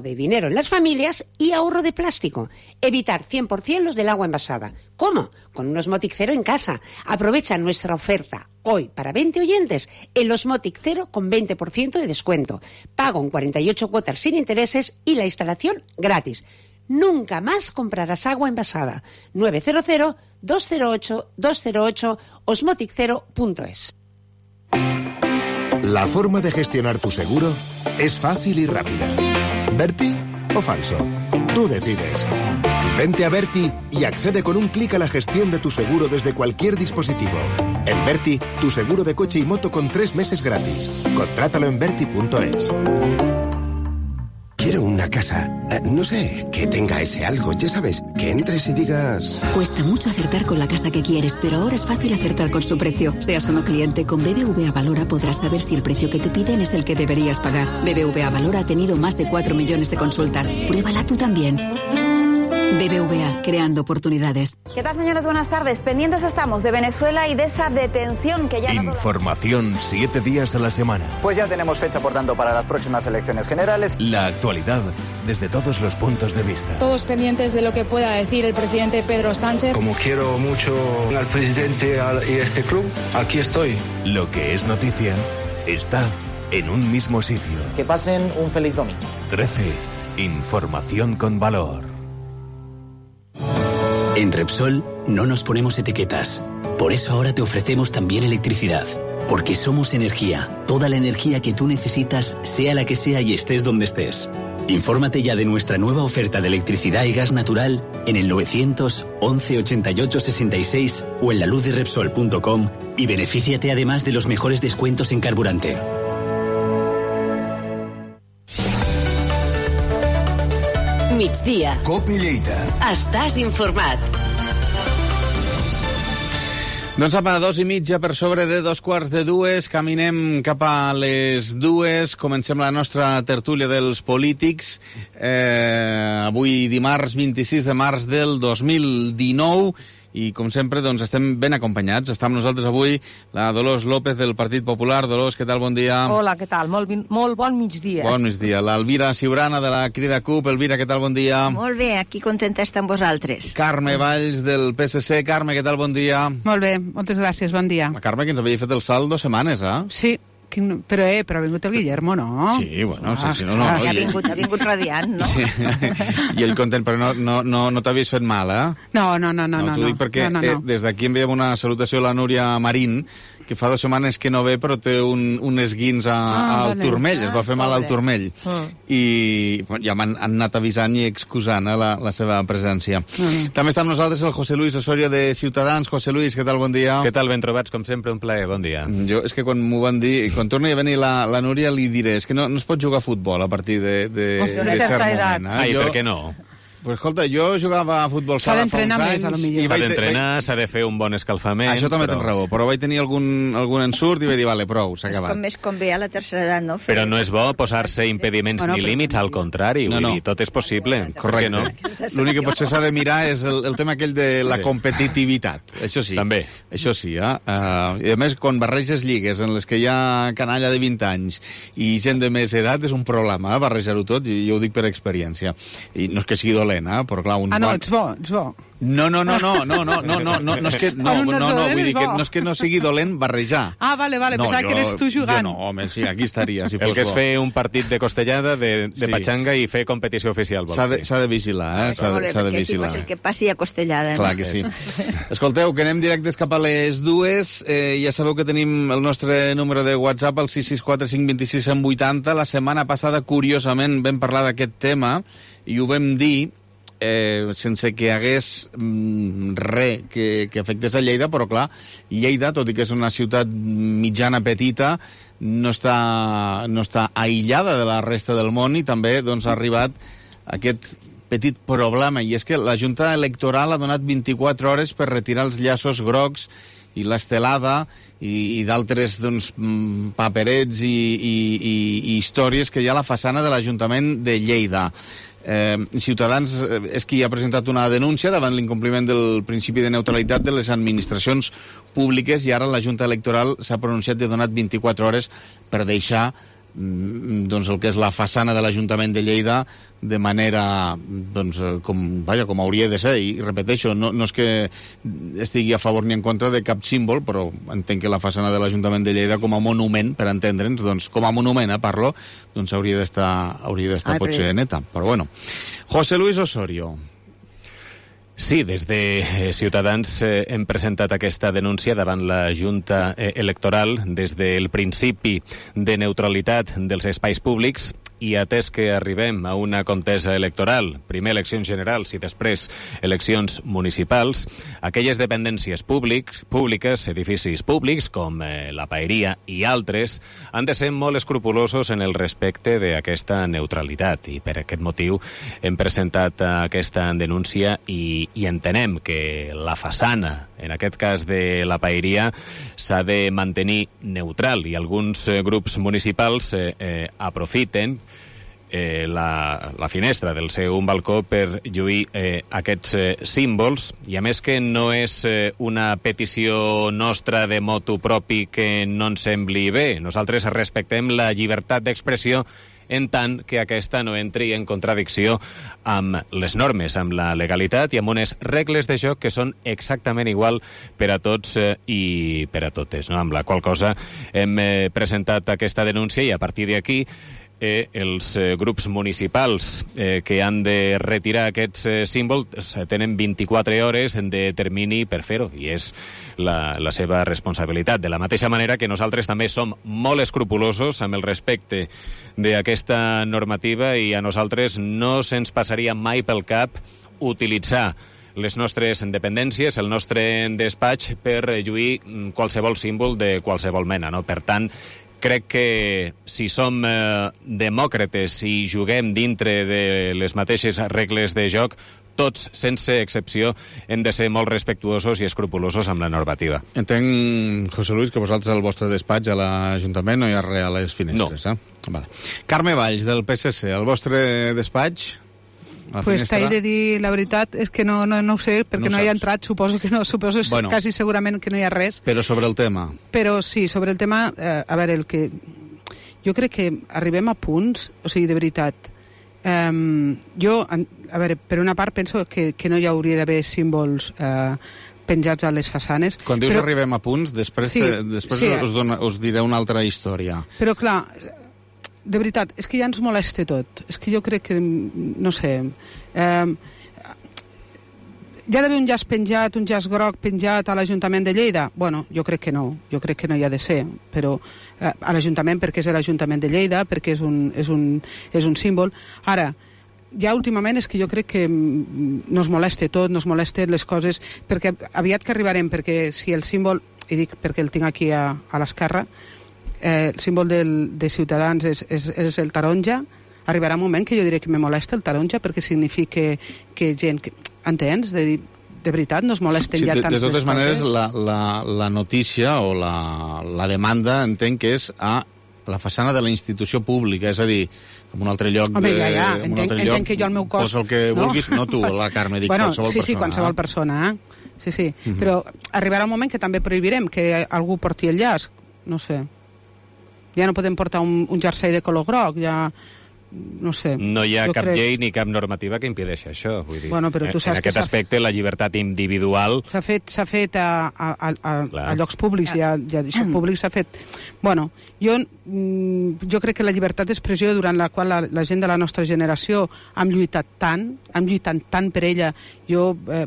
de dinero en las familias y ahorro de plástico. Evitar 100% los del agua envasada. ¿Cómo? Con un Osmotic Cero en casa. Aprovecha nuestra oferta hoy para 20 oyentes el Osmotic Cero con 20% de descuento. Pago en 48 cuotas sin intereses y la instalación gratis. Nunca más comprarás agua envasada. 900-208-208 osmoticero.es. La forma de gestionar tu seguro es fácil y rápida. ¿Berti o falso? Tú decides. Vente a Berti y accede con un clic a la gestión de tu seguro desde cualquier dispositivo. En Berti, tu seguro de coche y moto con 3 meses gratis. Contrátalo en berti.es. Quiero una casa, no sé, que tenga ese algo, ya sabes, que entres y digas... Cuesta mucho acertar con la casa que quieres, pero ahora es fácil acertar con su precio. Seas o no cliente, con BBVA Valora podrás saber si el precio que te piden es el que deberías pagar. BBVA Valora ha tenido más de 4 millones de consultas. Pruébala tú también. BBVA, creando oportunidades. ¿Qué tal, señores? Buenas tardes. Pendientes estamos de Venezuela y de esa detención que ya... Información 7 días a la semana. Pues ya tenemos fecha, por tanto, para las próximas elecciones generales. La actualidad desde todos los puntos de vista. Todos pendientes de lo que pueda decir el presidente Pedro Sánchez. Como quiero mucho al presidente y a este club, aquí estoy. Lo que es noticia está en un mismo sitio. Que pasen un feliz domingo. 13. Información con valor. En Repsol no nos ponemos etiquetas. Por eso ahora te ofrecemos también electricidad. Porque somos energía. Toda la energía que tú necesitas, sea la que sea y estés donde estés. Infórmate ya de nuestra nueva oferta de electricidad y gas natural en el 911 88 66 o en laluzderepsol.com y benefíciate además de los mejores descuentos en carburante. Migdia. COPE Lleida. Estàs informat. Doncs apa, 2:30 per sobre de 2:15. Caminem cap a les 2. Comencem la nostra tertúlia dels polítics. Avui dimarts 26 de març del 2019. I, com sempre, doncs, estem ben acompanyats. Està amb nosaltres avui la Dolors López del Partit Popular. Dolors, què tal? Bon dia. Hola, què tal? Molt bon migdia. Bon migdia. L'Elvira Ciurana de la Crida CUP. Elvira, què tal? Bon dia. Molt bé, aquí contenta estar amb vosaltres. Carme Valls del PSC. Carme, què tal? Bon dia. Molt bé, moltes gràcies, bon dia. La Carme, que ens havia fet el salt 2 setmanes, eh? Sí, Però ha vingut el Guillermo, no? Sí, bueno, sí, no. Ha vingut radiant, no? Sí. I ell content, però no t'havies fet mal, eh? No. T'ho dic perquè des d'aquí enviem una salutació a la Núria Marín, que fa 2 setmanes que no ve, però té un esguins al turmell, es va fer mal al turmell. I ja m'han anat avisant i excusant la seva presència. També està amb nosaltres el José Luis Osorio de Ciutadans. José Luis, què tal? Bon dia. Què tal? Ben trobats, com sempre, un plaer. Bon dia. Jo, és que quan m'ho van dir, quan torni a venir la Núria, li diré, és que no es pot jugar a futbol a partir de cert moment. Ai, per què no? Pues escolta, jo jugava a futbol sala fa uns anys... S'ha d'entrenar, s'ha de fer un bon escalfament... Això també tens raó, però vaig tenir algun ensurt i vaig dir, vale, prou, s'ha acabat. És com més convé a la tercera edat, no? Però no és bo posar-se impediments ni límits, al contrari, vull dir, tot és possible. Correcte, no? L'únic que potser s'ha de mirar és el tema aquell de la competitivitat, això sí. També. Això sí, I a més, quan barreges lligues en les que hi ha canalla de 20 anys i gent de més edat, és un problema, barrejar-ho tot, i jo ho dic per experiència. I no és que sigui dolent, però clar... Ets bo. No, és que vull dir que no és que no sigui dolent barrejar. Vale, pensava que eres tu jugant. Jo no, home, sí, aquí estaria, si fos bo. El que és fer un partit de costellada, de patxanga i fer competició oficial. S'ha de vigilar, S'ha de vigilar. Sí, que passi a costellada. Clar que sí. Escolteu, que anem directes cap a les 2. Ja sabeu que tenim el nostre número de WhatsApp, el 664 526 180. La setmana passada, curiosament, vam parlar d'aquest tema i ho vam dir sense que hi hagués res que afectés a Lleida, però clar, Lleida, tot i que és una ciutat mitjana petita, no està aïllada de la resta del món i també ha arribat aquest petit problema, i és que la Junta Electoral ha donat 24 hores per retirar els llaços grocs i l'estelada i d'altres paperets i històries que hi ha a la façana de l'Ajuntament de Lleida. Ciutadans és qui ha presentat una denúncia davant l'incompliment del principi de neutralitat de les administracions públiques i ara la Junta Electoral s'ha pronunciat i ha donat 24 hores per deixar el que és la façana de l'Ajuntament de Lleida de manera com hauria de ser, i repeteixo, no és que estigui a favor ni en contra de cap símbol, però entenc que la façana de l'Ajuntament de Lleida com a monument, per entendre'ns, com a monument, parlo, hauria d'estar potser neta, però bueno. José Luis Osorio. Sí, des de Ciutadans hem presentat aquesta denúncia davant la Junta Electoral des del principi de neutralitat dels espais públics i atès que arribem a una contesa electoral, primer eleccions generals i després eleccions municipals, aquelles dependències públiques, edificis públics, com la Paeria i altres, han de ser molt escrupulosos en el respecte d'aquesta neutralitat i per aquest motiu hem presentat aquesta denúncia i entenem que la façana, en aquest cas de la Paeria, s'ha de mantenir neutral i alguns grups municipals aprofiten la finestra del seu balcó per lluir aquests símbols, i a més que no és una petició nostra de motu propi que no ens sembli bé. Nosaltres respectem la llibertat d'expressió en tant que aquesta no entri en contradicció amb les normes, amb la legalitat i amb unes regles de joc que són exactament igual per a tots i per a totes, no? Amb la qual cosa hem presentat aquesta denúncia i a partir d'aquí els grups municipals que han de retirar aquests símbols tenen 24 hores de termini per fer-ho i és la seva responsabilitat. De la mateixa manera que nosaltres també som molt escrupulosos amb el respecte d'aquesta normativa i a nosaltres no se'ns passaria mai pel cap utilitzar les nostres dependències, el nostre despatx per lluir qualsevol símbol de qualsevol mena, no? Per tant, crec que si som demòcrates i juguem dintre de les mateixes regles de joc, tots, sense excepció, hem de ser molt respectuosos i escrupulosos amb la normativa. Entenc, José Luis, que vosaltres al vostre despatx a l'Ajuntament no hi ha res a les finestres, no. Vale. Carme Valls, del PSC, el vostre despatx? Pues t'he de dir la veritat, és que no ho sé, perquè no hi ha entrat, suposo que no, quasi segurament que no hi ha res. Però sobre el tema? Però sí, sobre el tema, a veure, jo crec que arribem a punts, o sigui, de veritat, jo, a veure, per una part penso que no hi hauria d'haver símbols penjats a les façanes. Quan dius arribem a punts, després us diré una altra història. Però clar, de veritat, és que ja ens molesta tot. És que jo crec que, no sé... Hi ha d'haver un llaç penjat, un llaç groc penjat a l'Ajuntament de Lleida? Bueno, jo crec que no hi ha de ser, però a l'Ajuntament perquè és l'Ajuntament de Lleida, perquè és un símbol. Ara, ja últimament és que jo crec que nos molesta tot, nos molesten les coses, perquè aviat que arribarem, perquè si el símbol, i dic perquè el tinc aquí a l'esquerra, el símbol de Ciutadans és el taronja, arribarà un moment que jo diré que me molesta el taronja perquè significa que gent... Entens? De veritat, no es molesten ja tant les coses. De totes maneres, la notícia o la demanda entenc que és a la façana de la institució pública, és a dir, en un altre lloc... Home, ja, entenc que jo al meu cos... Posa el que vulguis, no tu, la Carme, dic qualsevol persona. Sí, qualsevol persona, Sí. Però arribarà un moment que també prohibirem que algú porti el llaç, no sé. Ja no podem portar un jersei de color groc, ja... No sé. No hi ha cap llei ni cap normativa que impedeixi això. Vull dir, bueno, però tu saps en aquest aspecte, la llibertat individual... S'ha fet a llocs públics, ja públics s'ha fet... Bueno, jo crec que la llibertat d'expressió durant la qual la gent de la nostra generació hem lluitat tant per ella,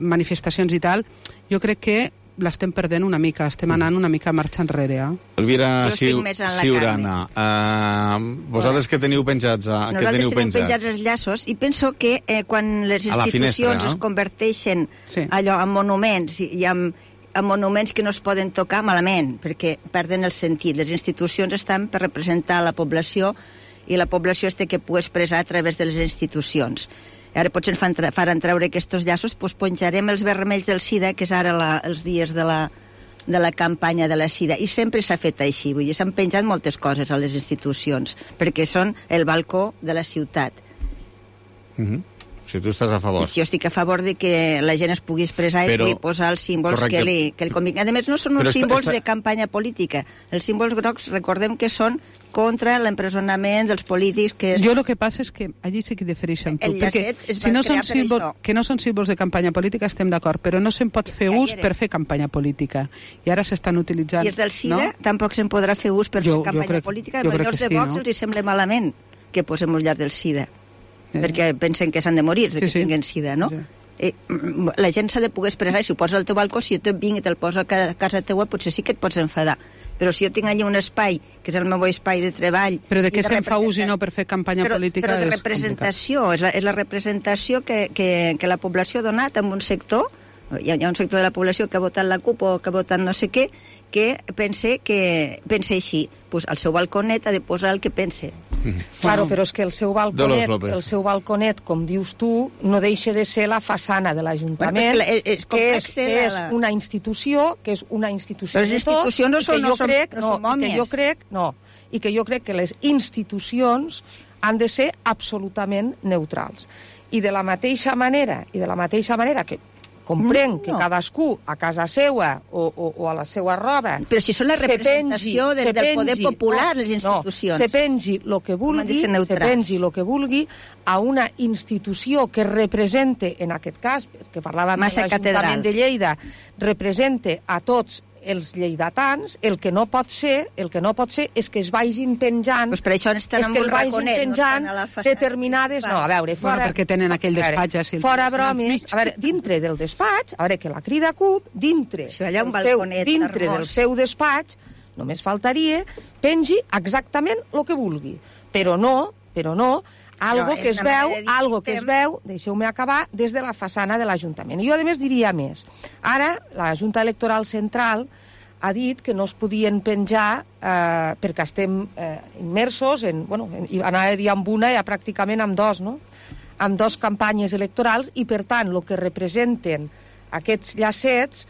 manifestacions i tal, jo crec que l'estem perdent una mica, estem anant una mica marxa enrere. Elvira Ciurana, vosaltres què teniu penjats? Nosaltres tenim penjats els llaços i penso que quan les institucions es converteixen allò en monuments i en monuments que no es poden tocar malament, perquè perden el sentit. Les institucions estan per representar la població i la població es té que poder expressar a través de les institucions. Ara potser ens faran treure aquests llaços, doncs penjarem els vermells del SIDA, que és ara els dies de la campanya de la SIDA, i sempre s'ha fet així, vull dir, s'han penjat moltes coses a les institucions, perquè són el balcó de la ciutat. Si tu estàs a favor. Jo estic a favor de que la gent es pugui expressar i pugui posar els símbols que el convingui. A més, no són uns símbols de campanya política. Els símbols grocs, recordem que són contra l'empresonament dels polítics que... Jo el que passa és que allí sí que difereixo amb tu, perquè si no són que no són símbols de campanya política estem d'acord, però no se'n pot fer ús per fer campanya política. I ara s'estan utilitzant... I els del SIDA tampoc se'n podrà fer ús per fer campanya política. Els de Vox els sembla malament que posem els llars del SIDA, perquè pensen que s'han de morir de que tinguin SIDA, no? La gent s'ha de poder expressar, si ho poses al teu balcó, si jo te vinc i te'l poso a casa teua, potser sí que et pots enfadar. Però si jo tinc allà un espai, que és el meu espai de treball... Però de què se'n fa ús i no per fer campanya política? Però de representació, és la representació que la població ha donat en un sector. Hi ha un sector de la població que ha votat la CUP o que ha votat no sé què, que pense així. Pues al seu balconet ha de posar el que pense. Claro, però és que el seu balconet, com dius tu, no deixa de ser la façana de l'Ajuntament, que és una institució, Però les institucions no són mòmies. I que jo crec que les institucions han de ser absolutament neutrals. I de la mateixa manera que comprenc que cadascú a casa seva o a la seva roba... Però si són la representació del poder popular, les institucions. Se pengi el que vulgui a una institució que represente, en aquest cas, que parlàvem de l'Ajuntament de Lleida, represente a tots els lleidatans, el que no pot ser és que es vagin penjant, per això estan en un raconet, determinades... No, a veure, fora... perquè tenen aquell despatx... Fora bromes, a veure, dintre del despatx, a veure, que la Crida CUP, dintre del seu despatx, només faltaria, pengi exactament el que vulgui. Però no, algo que es veu, deixeu-me acabar, des de la façana de l'Ajuntament. I jo, a més, diria més. Ara, la Junta Electoral Central ha dit que no es podien penjar perquè estem immersos en, anava a dir amb una, ja pràcticament amb dos, no? Amb dos campanyes electorals i, per tant, el que representen aquests llacets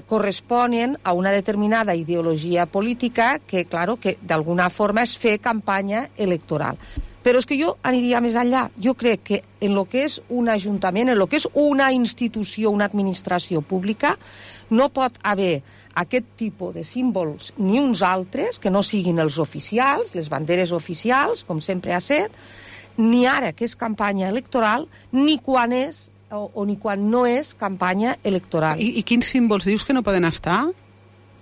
corresponen a una determinada ideologia política que, claro, que d'alguna forma és fer campanya electoral. Però és que jo aniria més enllà. Jo crec que en el que és un ajuntament, en el que és una institució, una administració pública, no pot haver aquest tipus de símbols ni uns altres, que no siguin els oficials, les banderes oficials, com sempre ha set, ni ara que és campanya electoral, ni quan és on i quan no és campanya electoral. I quins símbols dius que no poden estar?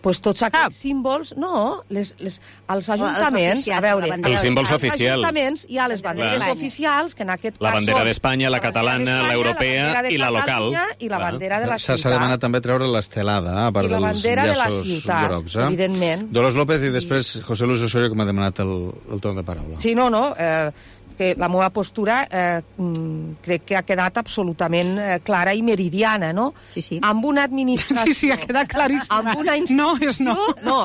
Pues tots aquests símbols, no, els ajuntaments, a veure... Els símbols oficials. Els ajuntaments hi ha les banderes oficials, que en aquest cas la bandera d'Espanya, la catalana, l'europea i la local. I la bandera de la ciutat. S'ha demanat també treure l'estelada, a part dels llaços grocs. Evidentment. Dolors López i després José Luis Osorio, que m'ha demanat el torn de paraula. Sí, no, que la meva postura crec que ha quedat absolutament clara i meridiana, no? Sí. Amb una administració... Sí, ha quedat claríssima. Amb una institució,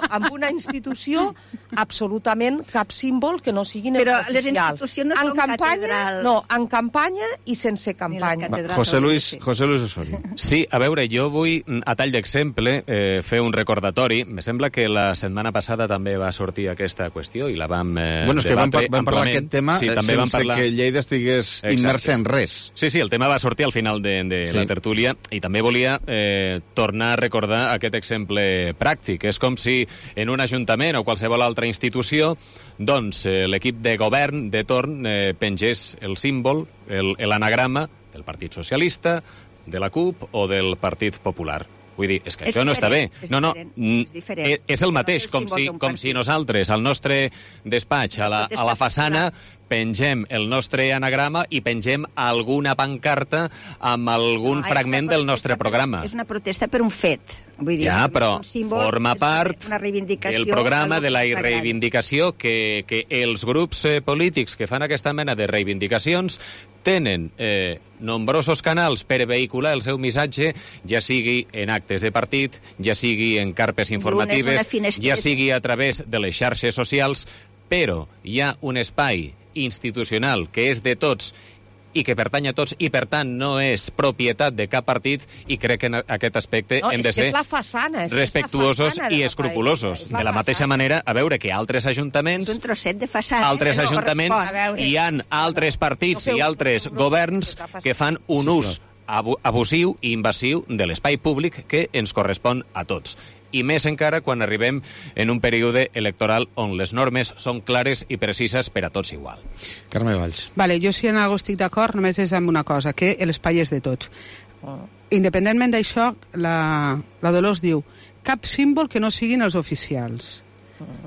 amb una institució absolutament cap símbol que no siguin però oficials. Les institucions no són catedrals. No, en campanya i sense campanya. José Luis Osorio. Sí, a veure, jo vull, a tall d'exemple, fer un recordatori. Me sembla que la setmana passada també va sortir aquesta qüestió i la vam bueno, és que vam parlar d'aquest tema sense que Lleida estigués immersa en res. Sí, el tema va sortir al final de la tertúlia i també volia tornar a recordar aquest exemple pràctic. És com si en un ajuntament o qualsevol altra institució doncs l'equip de govern de torn pengés el símbol, l'anagrama del Partit Socialista, de la CUP o del Partit Popular. Vull dir, és que això no està bé. És el mateix, com si nosaltres, al nostre despatx, a la façana, pengem el nostre anagrama i pengem alguna pancarta amb algun fragment del nostre programa. És una protesta per un fet. Vull dir, ja, però forma part del programa de la reivindicació que els grups polítics que fan aquesta mena de reivindicacions tenen nombrosos canals per vehicular el seu missatge, ja sigui en actes de partit, ja sigui en carpes informatives, ja sigui a través de les xarxes socials, però hi ha un espai institucional que és de tots i que pertany a tots i, per tant, no és propietat de cap partit i crec que en aquest aspecte hem de ser respectuosos i escrupulosos. De la mateixa manera, a veure que altres ajuntaments... És un trosset de façana. Altres ajuntaments, hi ha altres partits i altres governs que fan un ús abusiu i invasiu de l'espai públic que ens correspon a tots. I més encara quan arribem en un període electoral on les normes són clares i precises per a tots igual. Carme Valls. Vale, jo si en algo estic d'acord només és amb una cosa, que l'espai és de tots. Independentment d'això, la Dolors diu cap símbol que no siguin els oficials.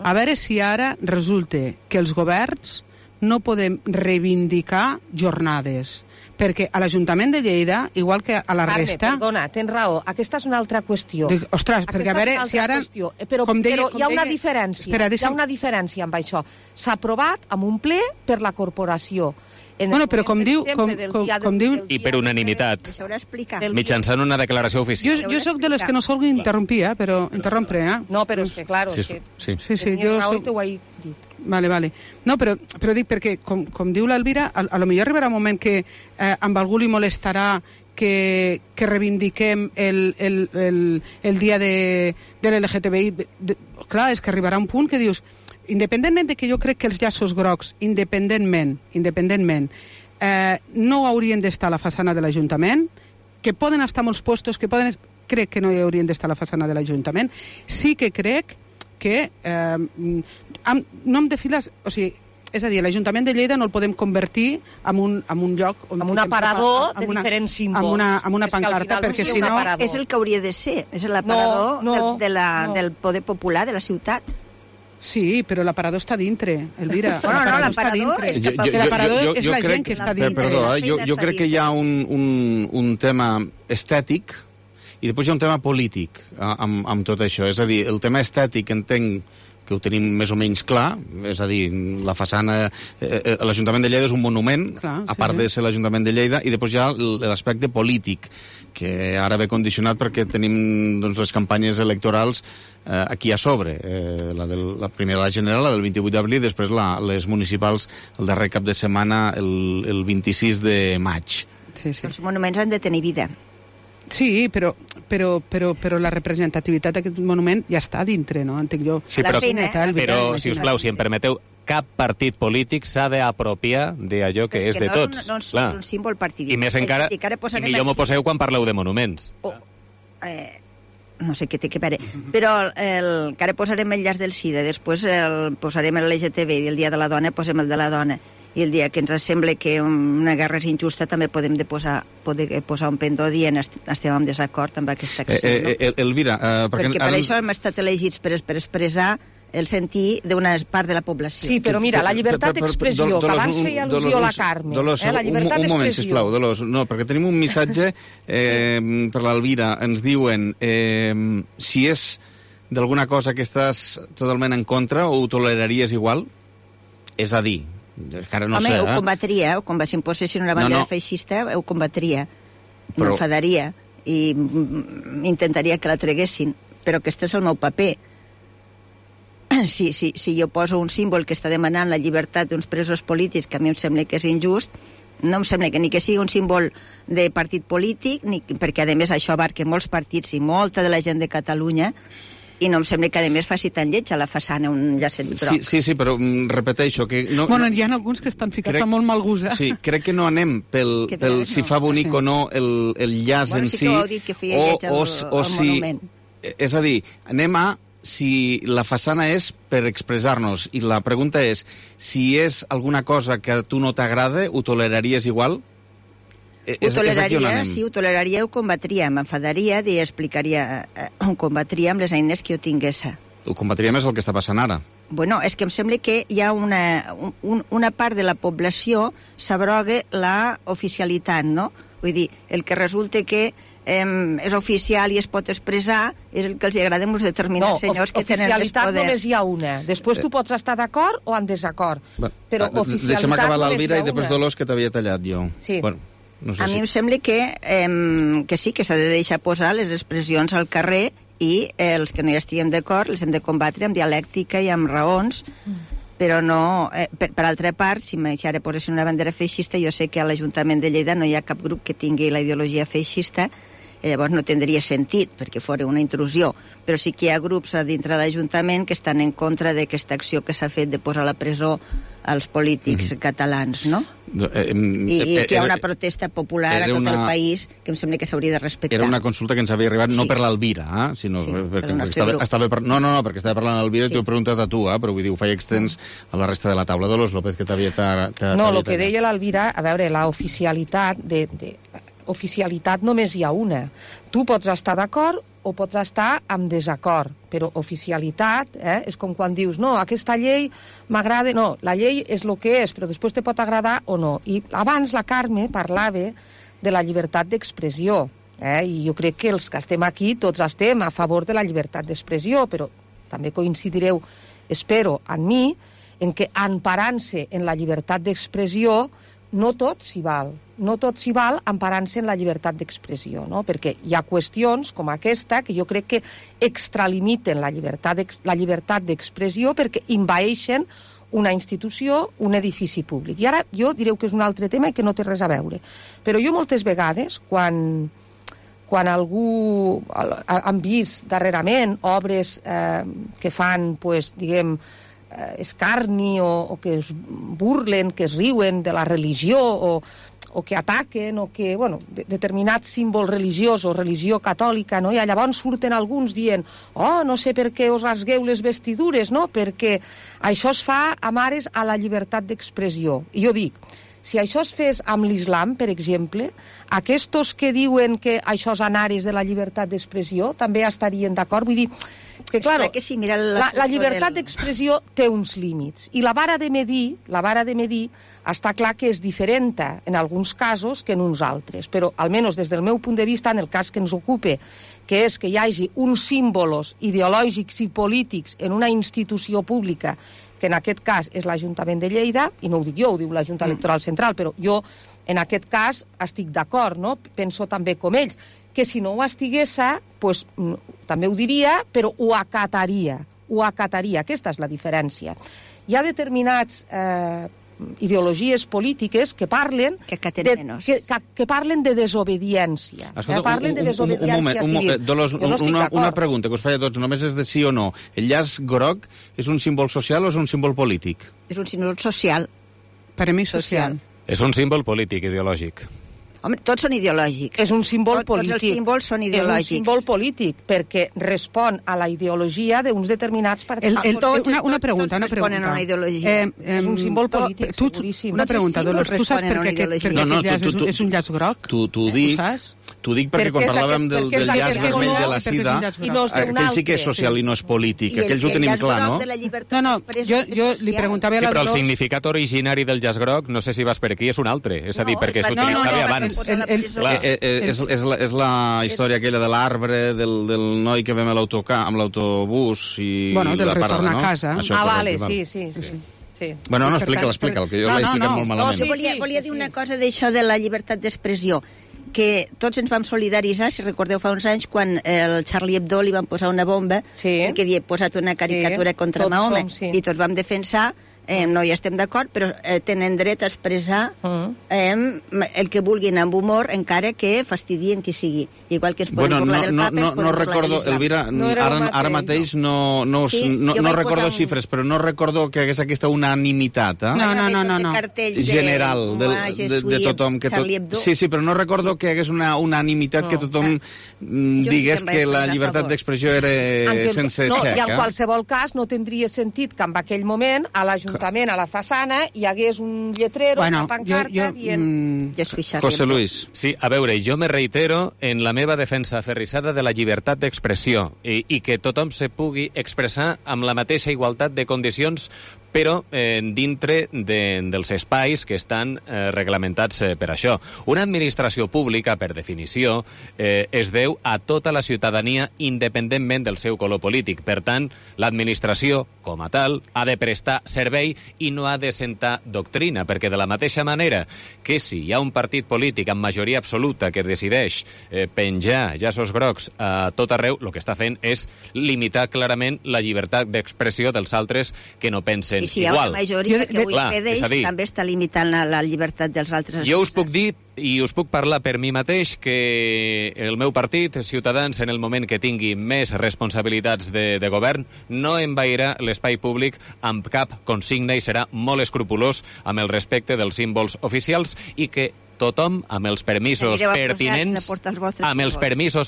A veure si ara resulta que els governs no podem reivindicar jornades, perquè a l'Ajuntament de Lleida, igual que a la resta... Perdona, tens raó, aquesta és una altra qüestió. Ostres, perquè a veure si ara... Però hi ha una diferència, hi ha una diferència amb això. S'ha aprovat amb un ple per la corporació. Bueno, però com diu... I per unanimitat, mitjançant una declaració oficial. Jo soc de les que no sol interrompir, però interrompre, No, però és que, clar, sí, jo soc... Ho he dit. Vale. No, però dic perquè, com diu l'Elvira, a lo millor arribarà un moment que amb algú li molestarà que reivindiquem el dia de l'LGTBI. Clar, és que arribarà un punt que dius, independentment de que jo crec que els llaços grocs, independentment, no haurien d'estar a la façana de l'Ajuntament, que poden estar molts puestos, crec que no hi haurien d'estar a la façana de l'Ajuntament, sí que crec que no em defiles... O sigui, és a dir, l'Ajuntament de Lleida no el podem convertir en un lloc... Amb un aparador de diferents símbols. Amb una pancarta, perquè si no... És el que hauria de ser, és l'aparador del poder popular de la ciutat. Sí, però l'aparador està dintre, Elvira. No, l'aparador és la gent que està dintre. Perdó, jo crec que hi ha un tema estètic i després hi ha un tema polític amb tot això. És a dir, el tema estètic entenc que ho tenim més o menys clar, és a dir, la façana... L'Ajuntament de Lleida és un monument, a part de ser l'Ajuntament de Lleida, i després hi ha l'aspecte polític, que ara ve condicionat perquè tenim les campanyes electorals aquí a sobre. La primera, la general, la del 28 d'abril, després les municipals el darrer cap de setmana, el 26 de maig. Els monuments han de tenir vida. Sí, però la representativitat d'aquest monument ja està dintre, no? Entenc jo. Sí, però, si us plau, si em permeteu, cap partit polític s'ha d'apropiar d'allò que és de tots. No és un símbol partidista. I més encara, i millor m'ho poseu quan parleu de monuments. No sé què té que veure, però que ara posarem el llaç del SIDA, després posarem el LGTB i el Dia de la Dona posem el de la Dona. i el dia que ens sembla que una guerra és injusta també podem posar un pendó dient estem en desacord amb aquesta acció. Elvira... perquè per això hem estat elegits per expressar el sentir d'una part de la població. Sí, però mira, la llibertat d'expressió, que abans feia al·lusió a la Carme. Dolors, la llibertat un moment, sisplau, Dolors. No, perquè tenim un missatge per l'Elvira. Ens diuen si és d'alguna cosa que estàs totalment en contra o ho toleraries igual? És a dir, encara no sé... Home, ho combatria, si em posessin una bandera feixista, ho combatria. M'enfadaria i intentaria que la treguessin. Però aquest és el meu paper. Si jo poso un símbol que està demanant la llibertat d'uns presos polítics, que a mi em sembla que és injust, no em sembla que ni que sigui un símbol de partit polític, perquè a més això abarca molts partits i molta de la gent de Catalunya, i no em sembla que, a més, faci tan lleig a la façana un llacet groc. Sí, però repeteixo que... Bueno, hi ha alguns que estan ficats amb molt mal gust. Sí, crec que no anem pel si fa bonic o no el llaç en si, o si... És a dir, anem a si la façana és per expressar-nos, i la pregunta és, si és alguna cosa que a tu no t'agrada, ho toleraries igual? Ho toleraria, ho combatria, m'enfadaria i explicaria, ho combatria amb les eines que jo tingués. Ho combatria més el que està passant ara. Bueno, és que em sembla que hi ha una part de la població s'abroga la oficialitat, no? Vull dir, el que resulta que és oficial i es pot expressar és el que els agrada a uns determinats senyors que tenen més poder. Oficialitat només hi ha una. Després tu pots estar d'acord o en desacord. Però oficialitat deixa'm acabar l'Elvira i després Dolors, que t'havia tallat jo. Sí. Bueno, no sé a mi em sembla que sí, que s'ha de deixar posar les expressions al carrer i els que no hi estiguem d'acord les hem de combatre amb dialèctica i amb raons, però no... Per altra part, si ara posessin una bandera feixista, jo sé que a l'Ajuntament de Lleida no hi ha cap grup que tingui la ideologia feixista, llavors no tindria sentit, perquè fora una intrusió. Però sí que hi ha grups a dintre de l'Ajuntament que estan en contra d'aquesta acció que s'ha fet de posar a la presó als polítics catalans, no? I que hi ha una protesta popular a tot el país que em sembla que s'hauria de respectar. Era una consulta que ens havia arribat no per l'Elvira, sinó perquè estava parlant l'Elvira i t'ho he preguntat a tu, però vull dir, ho faig extens a la resta de la taula. Dolors López, que t'havia... No, el que deia l'Elvira, a veure, la oficialitat oficialitat només hi ha una. Tu pots estar d'acord o pots estar en desacord, però oficialitat és com quan dius, no, aquesta llei m'agrada, no, la llei és el que és, però després te pot agradar o no. I abans la Carme parlava de la llibertat d'expressió, i jo crec que els que estem aquí tots estem a favor de la llibertat d'expressió, però també coincidireu, espero, en mi, en que emparant-se en la llibertat d'expressió no tot s'hi val. No tot s'hi val emparant-se en la llibertat d'expressió, no? Perquè hi ha qüestions com aquesta que jo crec que extralimiten la llibertat d'expressió perquè envaeixen una institució, un edifici públic. I ara jo direu que és un altre tema i que no té res a veure. Però jo moltes vegades, quan algú han vist darrerament obres que fan, diguem, escarni o que es burlen, que es riuen de la religió o que ataquen o que, determinats símbols religiosos, religió catòlica, no? I llavors surten alguns dient no sé per què us rasgueu les vestidures, no? Perquè això es fa amb ares a la llibertat d'expressió. I jo dic, si això es fes amb l'islam, per exemple, aquests que diuen que això és en ares de la llibertat d'expressió també estarien d'acord. Vull dir que, clar, la llibertat d'expressió té uns límits i la vara de medir està clar que és diferent en alguns casos que en uns altres, però almenys des del meu punt de vista, en el cas que ens ocupe, que és que hi hagi uns símbols ideològics i polítics en una institució pública, que en aquest cas és l'Ajuntament de Lleida, i no ho dic jo, ho diu la Junta Electoral Central, però jo en aquest cas estic d'acord, no? Penso també com ells, que si no ho estigués, també ho diria, però ho acataria. Aquesta és la diferència. Hi ha determinats ideologies polítiques que parlen que parlen de desobediència. Parlen de desobediència civil. Dolors, una pregunta que us faig a tots, només és de sí o no. El llaç groc és un símbol social o és un símbol polític? És un símbol social. Per a mi social. És un símbol polític, ideològic. Home, tots són ideològics. És un símbol polític. Tots els símbols són ideològics. És un símbol polític, perquè respon a la ideologia d'uns determinats partits. Una pregunta. Responen a una ideologia. És un símbol polític, seguríssim. Una pregunta, Dolors, tu saps per què aquest llaç és un llaç groc? T'ho dic perquè quan parlàvem del llaç vermell de la sida, aquell sí que és social i no és polític. Aquells ho tenim clar, no? No, jo li preguntava a la Dolors... Però el significat originari del llaç groc, no sé si vas per aquí, és un altre. És a dir, perquè s'utilitzava abans. És la història aquella de l'arbre, del noi que vam amb l'autobús i del retorn a casa. Vale, sí. Bueno, no, explica'l, que jo l'he explicat molt malament. Volia dir una cosa d'això de la llibertat d'expressió, que tots ens vam solidaritzar, si recordeu fa uns anys, quan el Charlie Hebdo li van posar una bomba que havia posat una caricatura contra Mahoma, i tots vam defensar, no hi estem d'acord, però tenen dret a expressar el que vulguin amb humor, encara que fastidien qui sigui. Igual que ens podem burlar del Papa, no recordo, Elvira, ara mateix no recordo xifres, però no recordo que hagués aquesta unanimitat No. general de tothom. Sí, però no recordo que hagués una unanimitat que tothom digués que la llibertat d'expressió era sense xec. I en qualsevol cas no tindria sentit que en aquell moment a l'Ajuntament, a la façana, hi hagués un lletrero, una pancarta dient... José Luis. Sí, a veure, jo me reitero en la meva defensa aferrissada de la llibertat d'expressió i que tothom se pugui expressar amb la mateixa igualtat de condicions, però dintre dels espais que estan reglamentats per això. Una administració pública, per definició, es deu a tota la ciutadania independentment del seu color polític. Per tant, l'administració, com a tal, ha de prestar servei i no ha de sentar doctrina, perquè de la mateixa manera que si hi ha un partit polític amb majoria absoluta que decideix penjar llaços grocs a tot arreu, el que està fent és limitar clarament la llibertat d'expressió dels altres que no pensen i si hi ha una majoria que ho impedeix, també està limitant la llibertat dels altres. Jo us puc dir i us puc parlar per mi mateix que el meu partit, Ciutadans, en el moment que tingui més responsabilitats de govern, no envairà l'espai públic amb cap consigna i serà molt escrupolós amb el respecte dels símbols oficials i que tothom, amb els permisos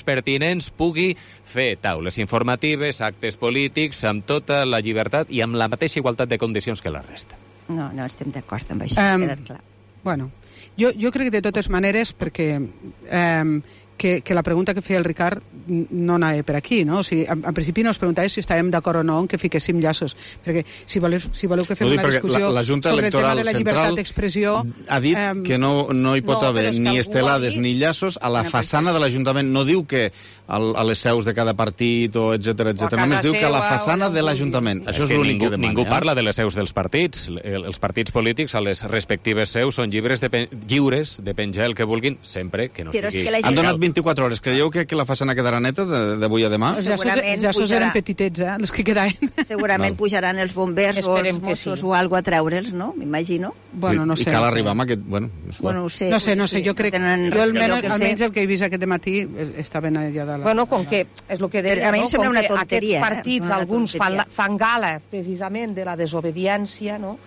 pertinents, pugui fer taules informatives, actes polítics, amb tota la llibertat i amb la mateixa igualtat de condicions que la resta. No estem d'acord amb això, ha quedat clar. Bueno, jo crec que de totes maneres, perquè que la pregunta que feia el Ricard no anava per aquí, no? O sigui, en principi no es preguntava si estàvem d'acord o no en que fiquéssim llaços, perquè si voleu que fem una discussió sobre el tema de la llibertat d'expressió... Ha dit que no hi pot haver ni estelades ni llaços a la façana de l'Ajuntament. No diu que a les seus de cada partit o etcètera. Només diu que a la façana de l'Ajuntament. Això és l'únic que demana. Ningú parla de les seus dels partits. Els partits polítics a les respectives seus són lliures de penjar el que vulguin, sempre que no sigui... Han donat 24 hores. Creieu que la façana quedarà neta d'avui a demà? Els llaços eren petitets, les que quedaven. Segurament pujaran els bombers o els Mossos o alguna a treure'ls, no? M'imagino. Bueno, no sé. I cal arribar amb aquest... Bueno, no sé. No sé, jo crec... Jo almenys el que he vist aquest matí estaven allà dalt. Bueno, com que és el que deia, a mi em sembla una tonteria. Aquests partits, alguns fan gala precisament de la desobediència, no?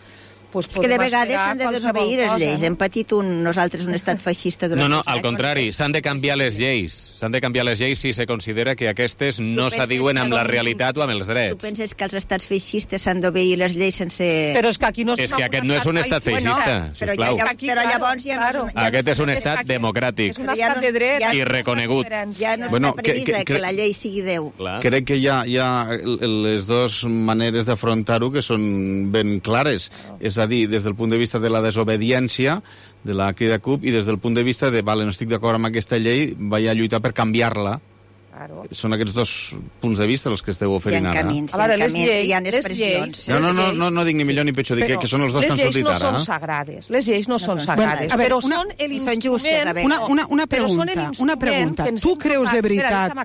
Pues és que de vegades s'han de desobeir les lleis. Hem patit nosaltres un estat feixista durant... No, al contrari, s'han de canviar les lleis. S'han de canviar les lleis si se considera que aquestes no s'adiuen amb la realitat o amb els drets. Tu penses que els estats feixistes s'han d'obeir les lleis sense... Però és que aquí no és que aquest no és un estat feixista, sisplau. Però llavors ja no... Aquest és un estat democràtic. És un estat de dret. I reconegut. Ja no és una premissa que la llei sigui Déu. Crec que hi ha les dues maneres d'afrontar-ho que són ben clares. És a dir, des del punt de vista de la desobediència de la Crida CUP i des del punt de vista de, no estic d'acord amb aquesta llei, vaig a lluitar per canviar-la. Claro. Són aquests dos punts de vista els que esteu oferint ara. Hi ha expressions. No dic ni millor ni pitjor, dic que són els dos que han sortit ara. Les lleis no són sagrades. Les lleis no són sagrades. Però són l'instrument... Una pregunta. Tu creus de veritat...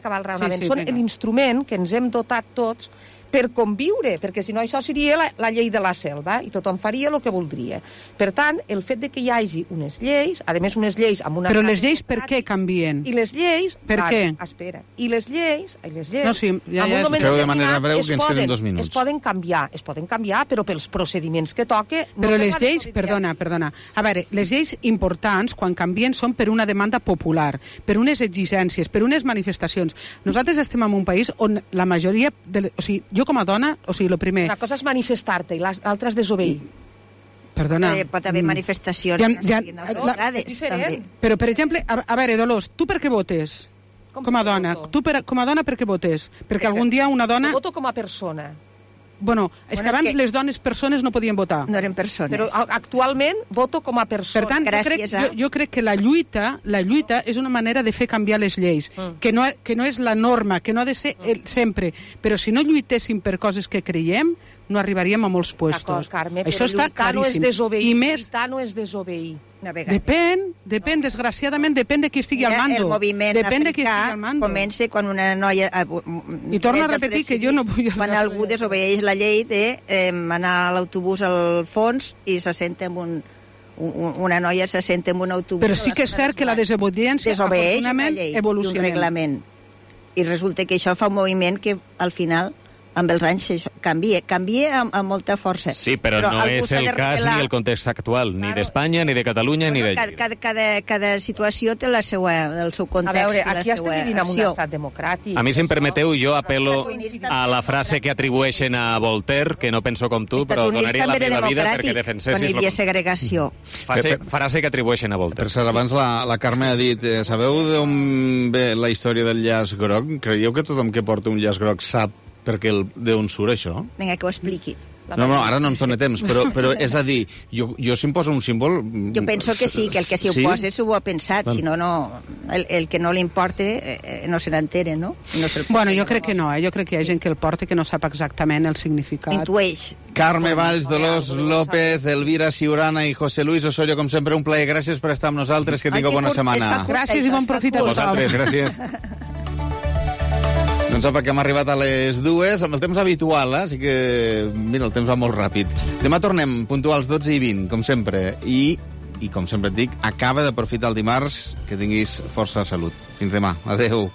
Són l'instrument que ens hem dotat tots per conviure, perquè si no això seria la llei de la selva i tothom faria el que voldria. Per tant, el fet de que hi hagi unes lleis, a més unes lleis amb una... Però les lleis per què canvien? I les lleis... Per què? Espera. I les lleis... No, sí, ja feu de manera breu que ens queden 2 minuts. Es poden canviar, però pels procediments que toque... Però les lleis, perdona. A veure, les lleis importants, quan canvien, són per una demanda popular, per unes exigències, per unes manifestacions. Nosaltres estem en un país on la majoria... O sigui, jo com a dona, o sigui, el primer... Una cosa és manifestar-te i l'altra és desobeir. Perdona. Pot haver manifestacions també. Però, per exemple, a veure, Dolors, tu per què votes? Com a dona. Tu com a dona per què votes? Perquè algun dia una dona... Voto com a persona. Bueno, és que abans les dones persones no podien votar. No eren persones. Però actualment voto com a persona. Per tant, jo crec que la lluita és una manera de fer canviar les lleis, que no és la norma, que no ha de ser sempre. Però si no lluitéssim per coses que creiem, no arribaríem a molts puestos. Carme, això està claríssim. Lluitar no és desobeir. Depèn, desgraciadament, depèn de qui estigui al mando. El moviment africà comença quan una noia... I torno a repetir que jo no vull... Quan algú desobeeix la llei d'anar a l'autobús al fons i se senta en una noia se senta en un autobús... Però sí que és cert que la desobediència, afortunadament, evoluciona. Un reglament. I resulta que això fa un moviment que, al final, amb els anys canvia amb molta força. Sí, però no és el cas ni el context actual, ni d'Espanya, ni de Catalunya, ni de... Cada situació té el seu context. A veure, aquí estem vivint en un estat democràtic. A mi, si em permeteu, jo apel·lo a la frase que atribueixen a Voltaire, que no penso com tu, però donaria la meva vida perquè defensessis... Quan hi havia segregació. Frase que atribueixen a Voltaire. Per cert, abans la Carme ha dit, sabeu d'on ve la història del llaç groc? Creieu que tothom que porta un llaç groc sap d'on surt això? Vinga, que ho expliqui. No, ara no ens dona temps, però és a dir, jo si em poso un símbol... Jo penso que sí, que el que s'hi oposa s'ho ha pensat, si no, el que no li importa no se n'entere, no? Bueno, jo crec que no, jo crec que hi ha gent que el porta que no sap exactament el significat. Intueix. Carme Valls, Dolors López, Elvira Ciurana i José Luis Osorio, com sempre, un plaer. Gràcies per estar amb nosaltres, que tingueu bona setmana. Gràcies i bon profit a tothom. Vosaltres, gràcies. Doncs apa, que hem arribat a les 2, amb el temps habitual, així que, mira, el temps va molt ràpid. Demà tornem puntuals 12:20, com sempre, i com sempre et dic, acaba d'aprofitar el dimarts, que tinguis força salut. Fins demà. Adéu.